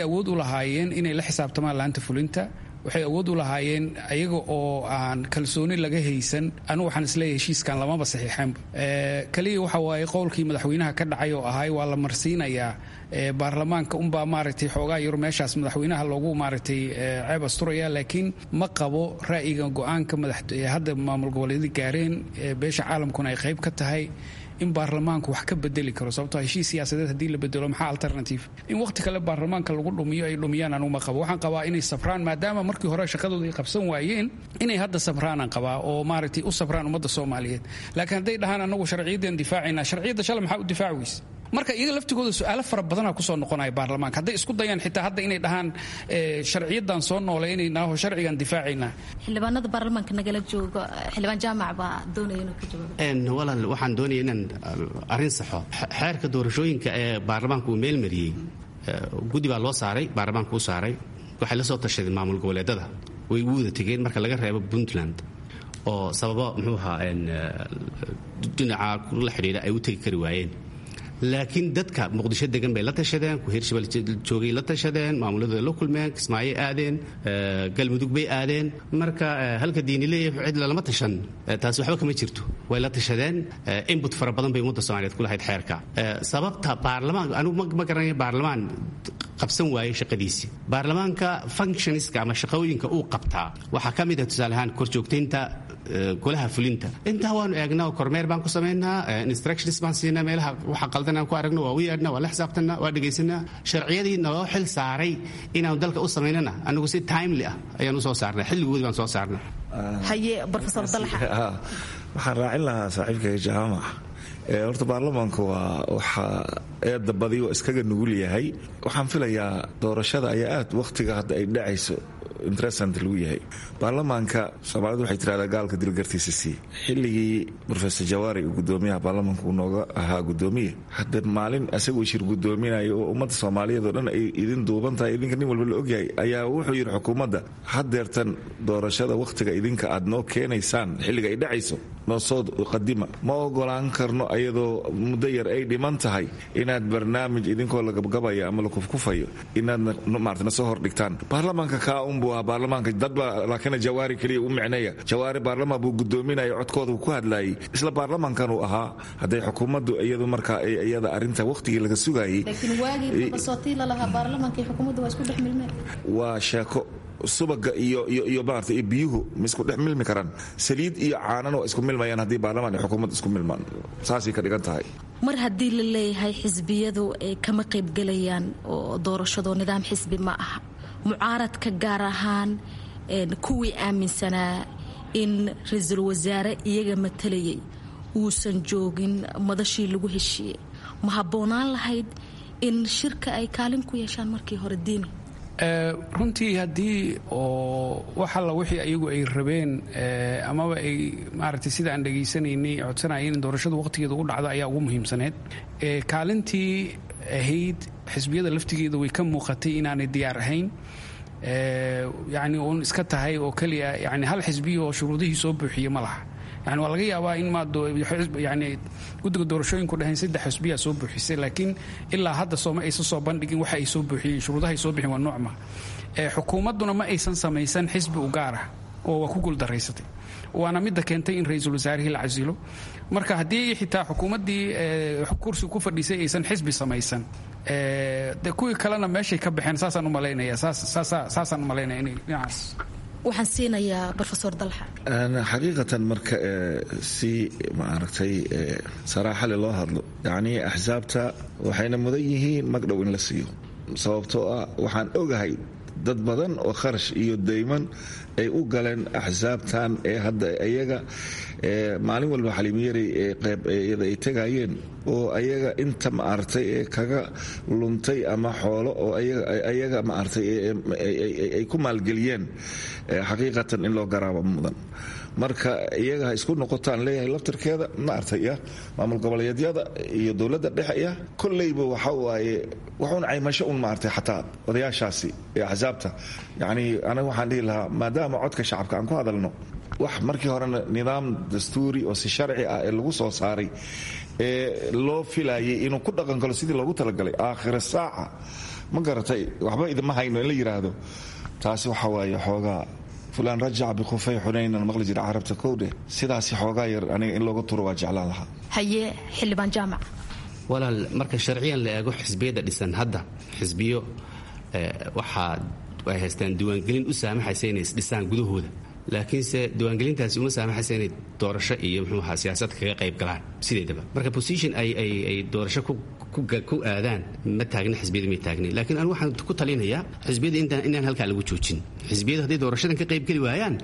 awood u lahaayeen inay la xisaabtamaan laanta fulinta. Waxay awood u lahaayeen ayaga oo aan kalsooni laga haysan. Anigu waxaan isleeyahay heshiiskan lamaba saxiixeenba. Kaliya waxa waaye qowlkii madaxweynaha ka dhacay oo ahay waa la marsiinayaa baarlamaanka unbaa, maaragtay, xoogaa yar meeshaas madaxweynaha loogu, maaragtay, ceeb asturaya. Laakiin ma qabo ra'yiga go-aanka madax hadda maamul goboleedyada gaareen, beesha caalamkuna ay qayb ka tahay, in baarlamaanku wax ka bedeli karo, sababtoo heshiis siyaasadeed haddii la bedelo, maxaa alternative? In waqti kale baarlamaanka lagu dhumiyo ay dhumiyaan anugu ma qabo. Waxaan qabaa inay sabraan, maadaama markii hore shaqadooda ay qabsan waayeen, inay hadda sabraanaan qabaa oo, maaragtay, u sabraan ummadda Soomaaliyeed. Laakiin hadday dhahaan anagu sharciyaddan difaacayna, sharciyadda shalay maxaa u difaaci weyse? Marka iyaga laftigooda su-aalo fara badana kusoo noqonaya baarlamaanka hadday isku dayaan xitaa hadda inay dhahaan sharciyadan soo nooleynayna oo sharcigan difaacaynaa. Xildhibaanada baarlamaanka nagala jooga, xildhibaan Jaamac baa doonaya inuu ka jawaabo. Walaal, waxaan doonaya inaan arrin saxo. Xeerka doorashooyinka ee baarlamaanku uu meel mariyey, guddi baa loo saaray, baarlamaanku u saaray. Waxay la soo tashadeen maamul goboleedada, way ugu wada tegeen marka laga reebo Puntland oo sababo muxuu ahaa dhinaca la xidhiidha ay u tegi kari waayeen. Laakiin dadka Muqdisho degan bay la tashadeen, ku Hirshabelle joogay la tashadeen, maamuladooda la kulmeen, Kismaayo aadeen, Galmudug bay aadeen. Marka halka Diini leeyahay cid lalama tashan, taasi waxba kama jirto. Way la tashadeen, input fara badan bay ummadda Soomaaliyeed ku lahayd xeerka. Sababta baarlamaan anigu ma garanayo baarlamaan qabsan waayey shaqadiisii. Baarlamaanka functionska ama shaqooyinka uu qabtaa waxaa ka mid ah, tusaale ahaan, korjoogtaynta golaha fulinta. Intaa waanu eegnaa oo kormeer baan ku samaynaa, instructions baan siinaa, meelaha waxa qaldan aan ku aragno waa u yeedhnaa, waa la xisaabtanaa, waa dhegaysanaa. Sharciyadii naloo xil saaray inaanu dalka u samaynana anigu si timely ah ayaan u soo saarnay, xilligoodii baan soo saarnay. Haye, Professor Dalxa. Waxaan raacin lahaa saaxiibkayga Jaamac. Horta baarlamaanka waa waxaa eedda badi oo iskaga nugul yahay. Waxaan filayaa doorashada ayaa aad wakhtiga hadda ay dhacayso interessant lagu yahay. Baarlamaanka Soomaalidu waxay tirahdaa gaalka dilgartiisa sii. Xilligii Professor Jawaari uu gudoomiyaha baarlamaanka uu nooga ahaa gudoomiye, hadda maalin asagoo shir gudoominayo oo ummadda Soomaaliyeed oo dhan ay idin duuban tahay, idinka nin walba la ogyahay, ayaa wuxuu yidhi xukuumadda haddeertan doorashada wakhtiga idinka aad noo keenaysaan xilliga ay dhacayso noo soo qadima, ma ogolaan karno ayadoo muddo yar ay dhiman tahay inaad barnaamij idinkoo la gabgabaya ama la kufkufayo inaad maarata na soo hordhigtaan. Baarlamaanka kaa unbuu ahaa baarlamaanka dadba, laakiin Jawaari keliya u micneeya. Jawaari baarlamaan buu gudoominaya, codkooda ku hadlayay, isla baarlamaankan uu ahaa. Hadday xukuumaddu iyadu markaa iyada arrinta wakhtigii laga sugayay. Laakiin waagii dabasootii lalahaa baarlamaanka iyo xukuumaddu waa isku dhex milmeen. Waa sheeko. Subaga iyo iyo iyo maarata iyo biyuhu ma isku dhex milmi karaan? Saliid iyo caanana waa isku milmayaan haddii baarlamaan iyo xukuumaddu isku milmaan, saasay ka dhigan tahay. Mar haddii la leeyahay xisbiyadu ay kama qaybgelayaan oo doorashado nidaam xisbi ma aha, mucaaradka gaar ahaan kuwii aaminsanaa in ra-iisul wasaare iyaga matalayay uusan joogin madashii lagu heshiiyey, ma habboonaan lahayd in shirka ay kaalin ku yeeshaan markii hore, Diini? Runtii haddii oo wax alla wixii ayagu ay rabeen amaba ay maaragtay sida aan dhegaysanaynay codsanayeen in doorashadu waqtigeeda ugu dhacdo ayaa ugu muhiimsaneyd. Kaalintii ahayd xisbiyada laftigeeda way ka muuqatay inaanay diyaar ahayn, yacni uun iska tahay oo keliya yani hal xisbiya oo shuruudihii soo buuxiye ma laha. Yani waa laga yaabaa in yani guddiga doorashooyinku dhaheen saddex xisbiyaa soo buuxisay, laakiin ilaa hadda sooma aysan soo bandhigin waxa ay soo buuxiyeen, shuruudaha ay soo bixin waa noocma. Xukuumadduna ma aysan samaysan xisbi u gaar ah oo waa ku guuldaraysatay, waana midda keentay in ra-iisul wasaarihii la casilo. Marka haddii xitaa xukuumaddii kursiga ku fadhiisay aysan xisbi samaysan, de kuwii kalena meeshay ka baxeen. Saasaan u malaynaya, saasaan u malaynaya inay dhinacaas. Waxaan siinayaa Rofesor Dalxa. Xaqiiqatan marka si maaragtay saraaxale loo hadlo, yacnii axsaabta waxayna mudan yihiin magdhow in la siiyo, sababtoo ah waxaan ogahay dad badan oo kharash iyo dayman ay u galeen axsaabtan ee hadda iyaga maalin walba xaliimiyarey ee qeyb iyada ay tegayeen oo ayaga inta maaragtay ee kaga luntay ama xoolo oo ayaga maaragtay ay ku maalgeliyeen, xaqiiqatan in loo garaabo mudan. Marka iyaga ha isku noqotaan leeyahay laftirkeeda maaragtay ya maamul goboleedyada iyo dowladda dhexe ya kolleyba waxa waaye waxuun caymasho un maaragtay xataa odayaashaasi ee axsaabta. Yacni aniga waxaan dhihi lahaa, maadaama codka shacabka aan ku hadalno, wax markii horena nidaam dastuuri oo si sharci ah ee lagu soo saaray ee loo filayay inuu ku dhaqan galo sidii loogu talagalay, aakhira saaca ma garatay waxba idima hayno in la yidhaahdo, taasi waxa waaye xoogaa fulaan rajaca bikhufay xunaynan maqli jira carabta kowdhe. Sidaasi xoogaa yar aniga in looga turo waa jeclaan lahaa. Haye, xildhibaan Jaamac. Walaal, marka sharciyan la eego xisbiyada dhisan hadda, xisbiyo waxaa ay haystaan diiwaangelin u saamaxaysa inay isdhisaan gudahooda, laakiinse diiwaangelintaasi uma saamaxaysa inay doorasho iyo muxuu ahaa siyaasad kaga qayb galaan sideedaba. Marka position ay doorasho ku aadaan ma taagna, xisbiyada may taagna. Laakiin anigu waxaan ku talinayaa xisbiyada inaan halkaa lagu joojin. Xisbiyadu hadday doorashadan ka qayb geli waayaan,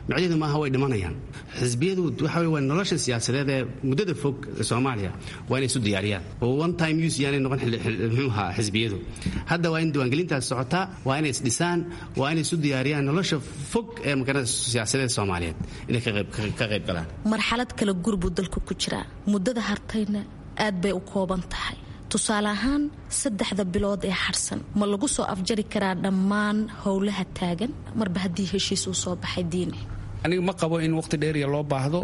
micnaheedu maaha way dhimanayaan. Xisbiyadu waxa wey waa nolosha siyaasadeed ee muddada fog Soomaaliya waa inay isu diyaariyaan oo one time use yaanay noqon muxuu ahaa xisbiyadu. Hadda waa in diiwaangelintaas socotaa, waa inay isdhisaan, waa inay isu diyaariyaan nolosha fog ee maganada siyaasadeed Soomaaliyeed inay ka qayb galaan. Marxalad kala gurbuu dalku ku jiraa, muddada hartayna aad bay u kooban tahay. Tusaale ahaan, 3da bilood ee harsan ma lagu soo afjari karaa dhammaan howlaha taagan marba haddii heshiis uu soo baxay, Diini? Aniga ma qabo in waqti dheeriya loo baahdo.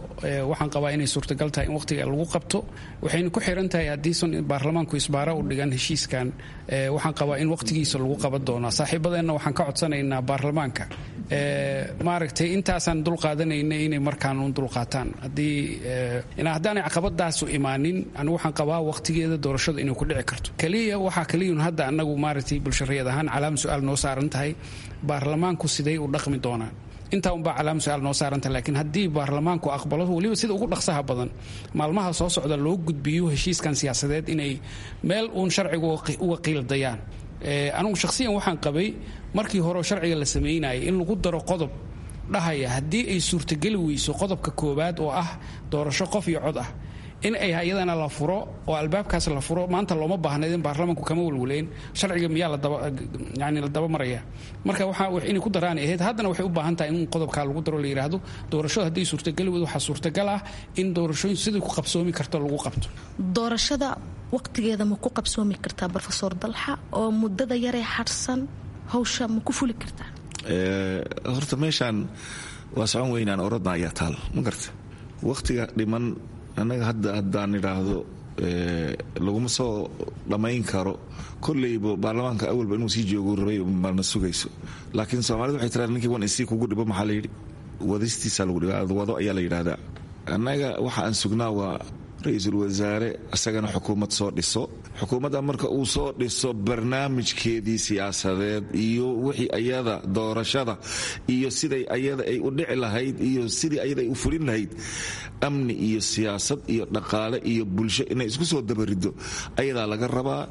Waxaan qabaa inay suurtagal tahay in waqtiga lagu qabto, waxayna ku xiran tahay haddiisan baarlamaanku isbaara u dhigan heshiiskan. Waxaan qabaa in waqtigiisa lagu qaban doonaa. Saaxiibadeenna waxaan ka codsanaynaa baarlamaanka maaragtay intaasaan dul qaadanayna inay markaan uun dulqaataan. Haddii haddaanay caqabadaasu imaanin, anigu waxaan qabaa waqtigeeda doorashadu inay ku dhici karto. Keliya waxaa keliyun hadda annagu maaragtay bulshareed ahaan calaam su-aal noo saaran tahay baarlamaanku siday u dhaqmi doonaan. Intaa unbaa calaam su-aal noo saaranta. Laakiin haddii baarlamaanku aqbalo, weliba sida ugu dhaqsaha badan maalmaha soo socda loo gudbiyo heshiiskan siyaasadeed, inay meel uun sharciga uga qiildayaan. Anigu shakhsiyan waxaan qabay markii hore sharciga la samaynayay in lagu daro qodob dhahaya haddii ay suurtageli weyso qodobka koowaad oo ah doorasho qof iyo cod ah in ay iyadana la furo oo albaabkaas la furo. Maanta looma baahnayd in baarlamanku kama walwaleen sharciga miyaa ladayani la daba maraya. Marka waxa inay ku daraan ahayd, haddana waxay u baahan tahay in qodobkaa lagu daro, la yidhaahdo doorashadu hadday suurtageli weydo waxaa suurtagal ah in doorashooyin sidii ku qabsoomi karto lagu qabto. Doorashada waqtigeeda ma ku qabsoomi kartaa, Brofesor Dalxa, oo muddada yaree harsan hawsha ma ku fuli kartaa? Horta meeshaan waa socon weynaan orodna ayaa taal, ma garta waqtiga dhiman. Annaga hadda haddaan idhaahdo laguma soo dhammayn karo, kolleyba baarlamaanka awalba inuu sii joogu rabay marna sugayso. Laakiin soomaalida waxay tiraa ninkii wan isii kugu dhibo, maxaa la yidhi, wadistiisa lagu dhiba, wado ayaa la yidhaahdaa. Annaga waxa aan sugnaa waa ra-iisul wasaare isagana xukuumad soo dhiso. Xukuumadda marka uu soo dhiso barnaamijkeedii siyaasadeed iyo wixii ayada doorashada iyo siday ayada ay u dhici lahayd iyo sidii ayada ay u fulin lahayd, amni iyo siyaasad iyo dhaqaale iyo bulsho inay isku soo dabarido ayadaa laga rabaa.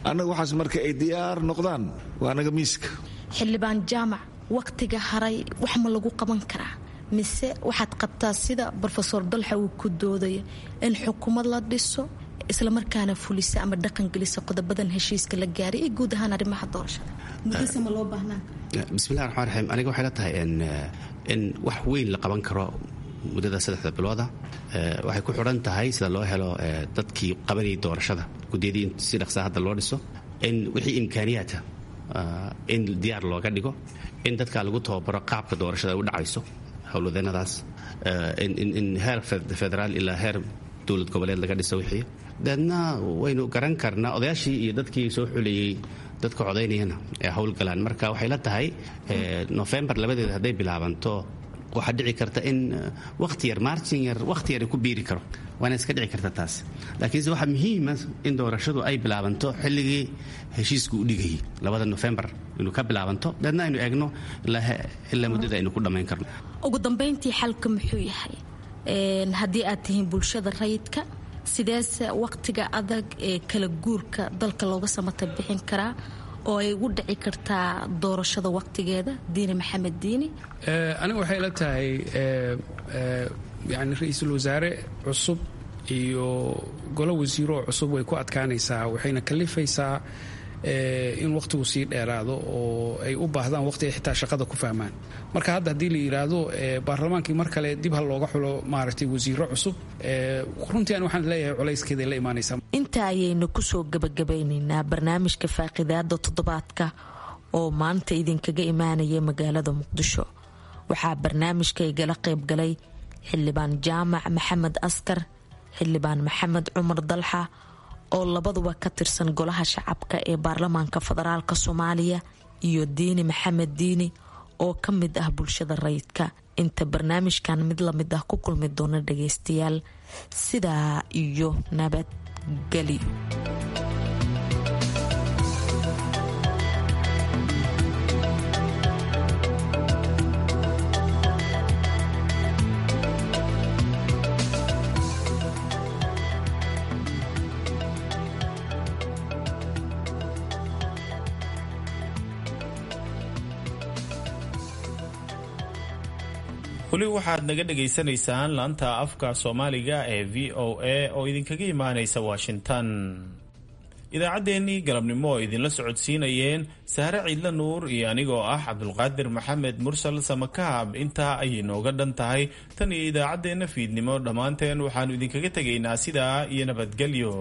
Annaga waxaas marka ay diyaar noqdaan waa anaga miiska. Xildhibaan Jaamac, wakhtiga haray wax ma lagu qaban karaa, mise waxaad qabtaa sida Brofesor Dalxa uu ku doodayo in xukuumad la dhiso islamarkaana fulisa ama dhaqangelisa qodobadan heshiiska la gaaray iyo guud ahaan arrimaha doorashada? Muddase ma loo baahnaan? Bismillahi raxmaan raxiim. Aniga waxay la tahay in wax weyn la qaban karo muddada 3da bilooda. Waxay ku xidhan tahay sida loo helo dadkii qabanayay doorashada, guddiyadii in si dhaqsaa hadda loo dhiso, in wixii imkaaniyaata in diyaar looga dhigo, in dadka lagu tababaro qaabka doorashada ay u dhacayso, howlwadeenadaas in heer federaal ilaa heer dowlad goboleed laga dhiso wixii. Deedna waynu garan karnaa odayaashii iyo dadkii soo xuleeyey dadka codaynayana ee howlgalaan. Marka waxay la tahay Nofembar 2deeda hadday bilaabanto, waxaa dhici karta in waqti yar, marjin yar, waqti yar ku biiri karo, waana iska dhici karta taas. Laakiinse waxaa muhiima in doorashadu ay bilaabanto xilligii heshiisku u dhigayay, 2da Nofembar inuu ka bilaabanto, deedna aynu eegno ilaa muddada aynu ku dhammayn karno. Ugu dambayntii, xalka muxuu yahay haddii aad tihiin bulshada rayidka? Sideese waqtiga adag ee kala guurka dalka looga samata bixin karaa oo ay ugu dhici kartaa doorashada waqtigeeda, Diini Maxamed Diini? Aniga waxay la tahay yani ra-iisul wasaare cusub iyo golo wasiiroo cusub way ku adkaanaysaa, waxayna kalifaysaa in waqtigu sii dheeraado oo ay u baahdaan waqti ay xitaa shaqada ku fahmaan. Marka hadda haddii la yidhaahdo baarlamaankii mar kale dib ha looga xulo maaragtay wasiiro cusub, runtii ani waxaan leeyahay culayskeeday la imaanaysaa. Inta ayaynu kusoo gabagabeynaynaa barnaamijka faaqidaada toddobaadka oo maanta idinkaga imaanaya magaalada Muqdisho. Waxaa barnaamijka igala qaybgalay Xildhibaan Jaamac Maxamed Askar, Xildhibaan Maxamed Cumar Dalxa oo labaduba ka tirsan golaha shacabka ee baarlamaanka federaalk Soomaaliya, iyo Diini Maxamed Diini oo ka mid ah bulshada rayidka. Inta barnaamijkan mid lamid ah ku kulmi doona dhageystayaal, sidaa iyo nabadgelyo. Weli waxaad naga dhagaysanaysaan laanta afka Soomaaliga ee VOA oo idinkaga imaanaysa Washington. Idaacaddeenii galabnimo oo idinla socodsiinayeen Sahre Ciidla Nuur iyo anigoo ah Cabdulqaadir Maxamed Mursal Samakaab intaa ayay nooga dhan tahay. Tan iyo idaacaddeenna fiidnimo, dhammaanteen waxaannu idinkaga tegaynaa sidaa iyo nabadgelyo.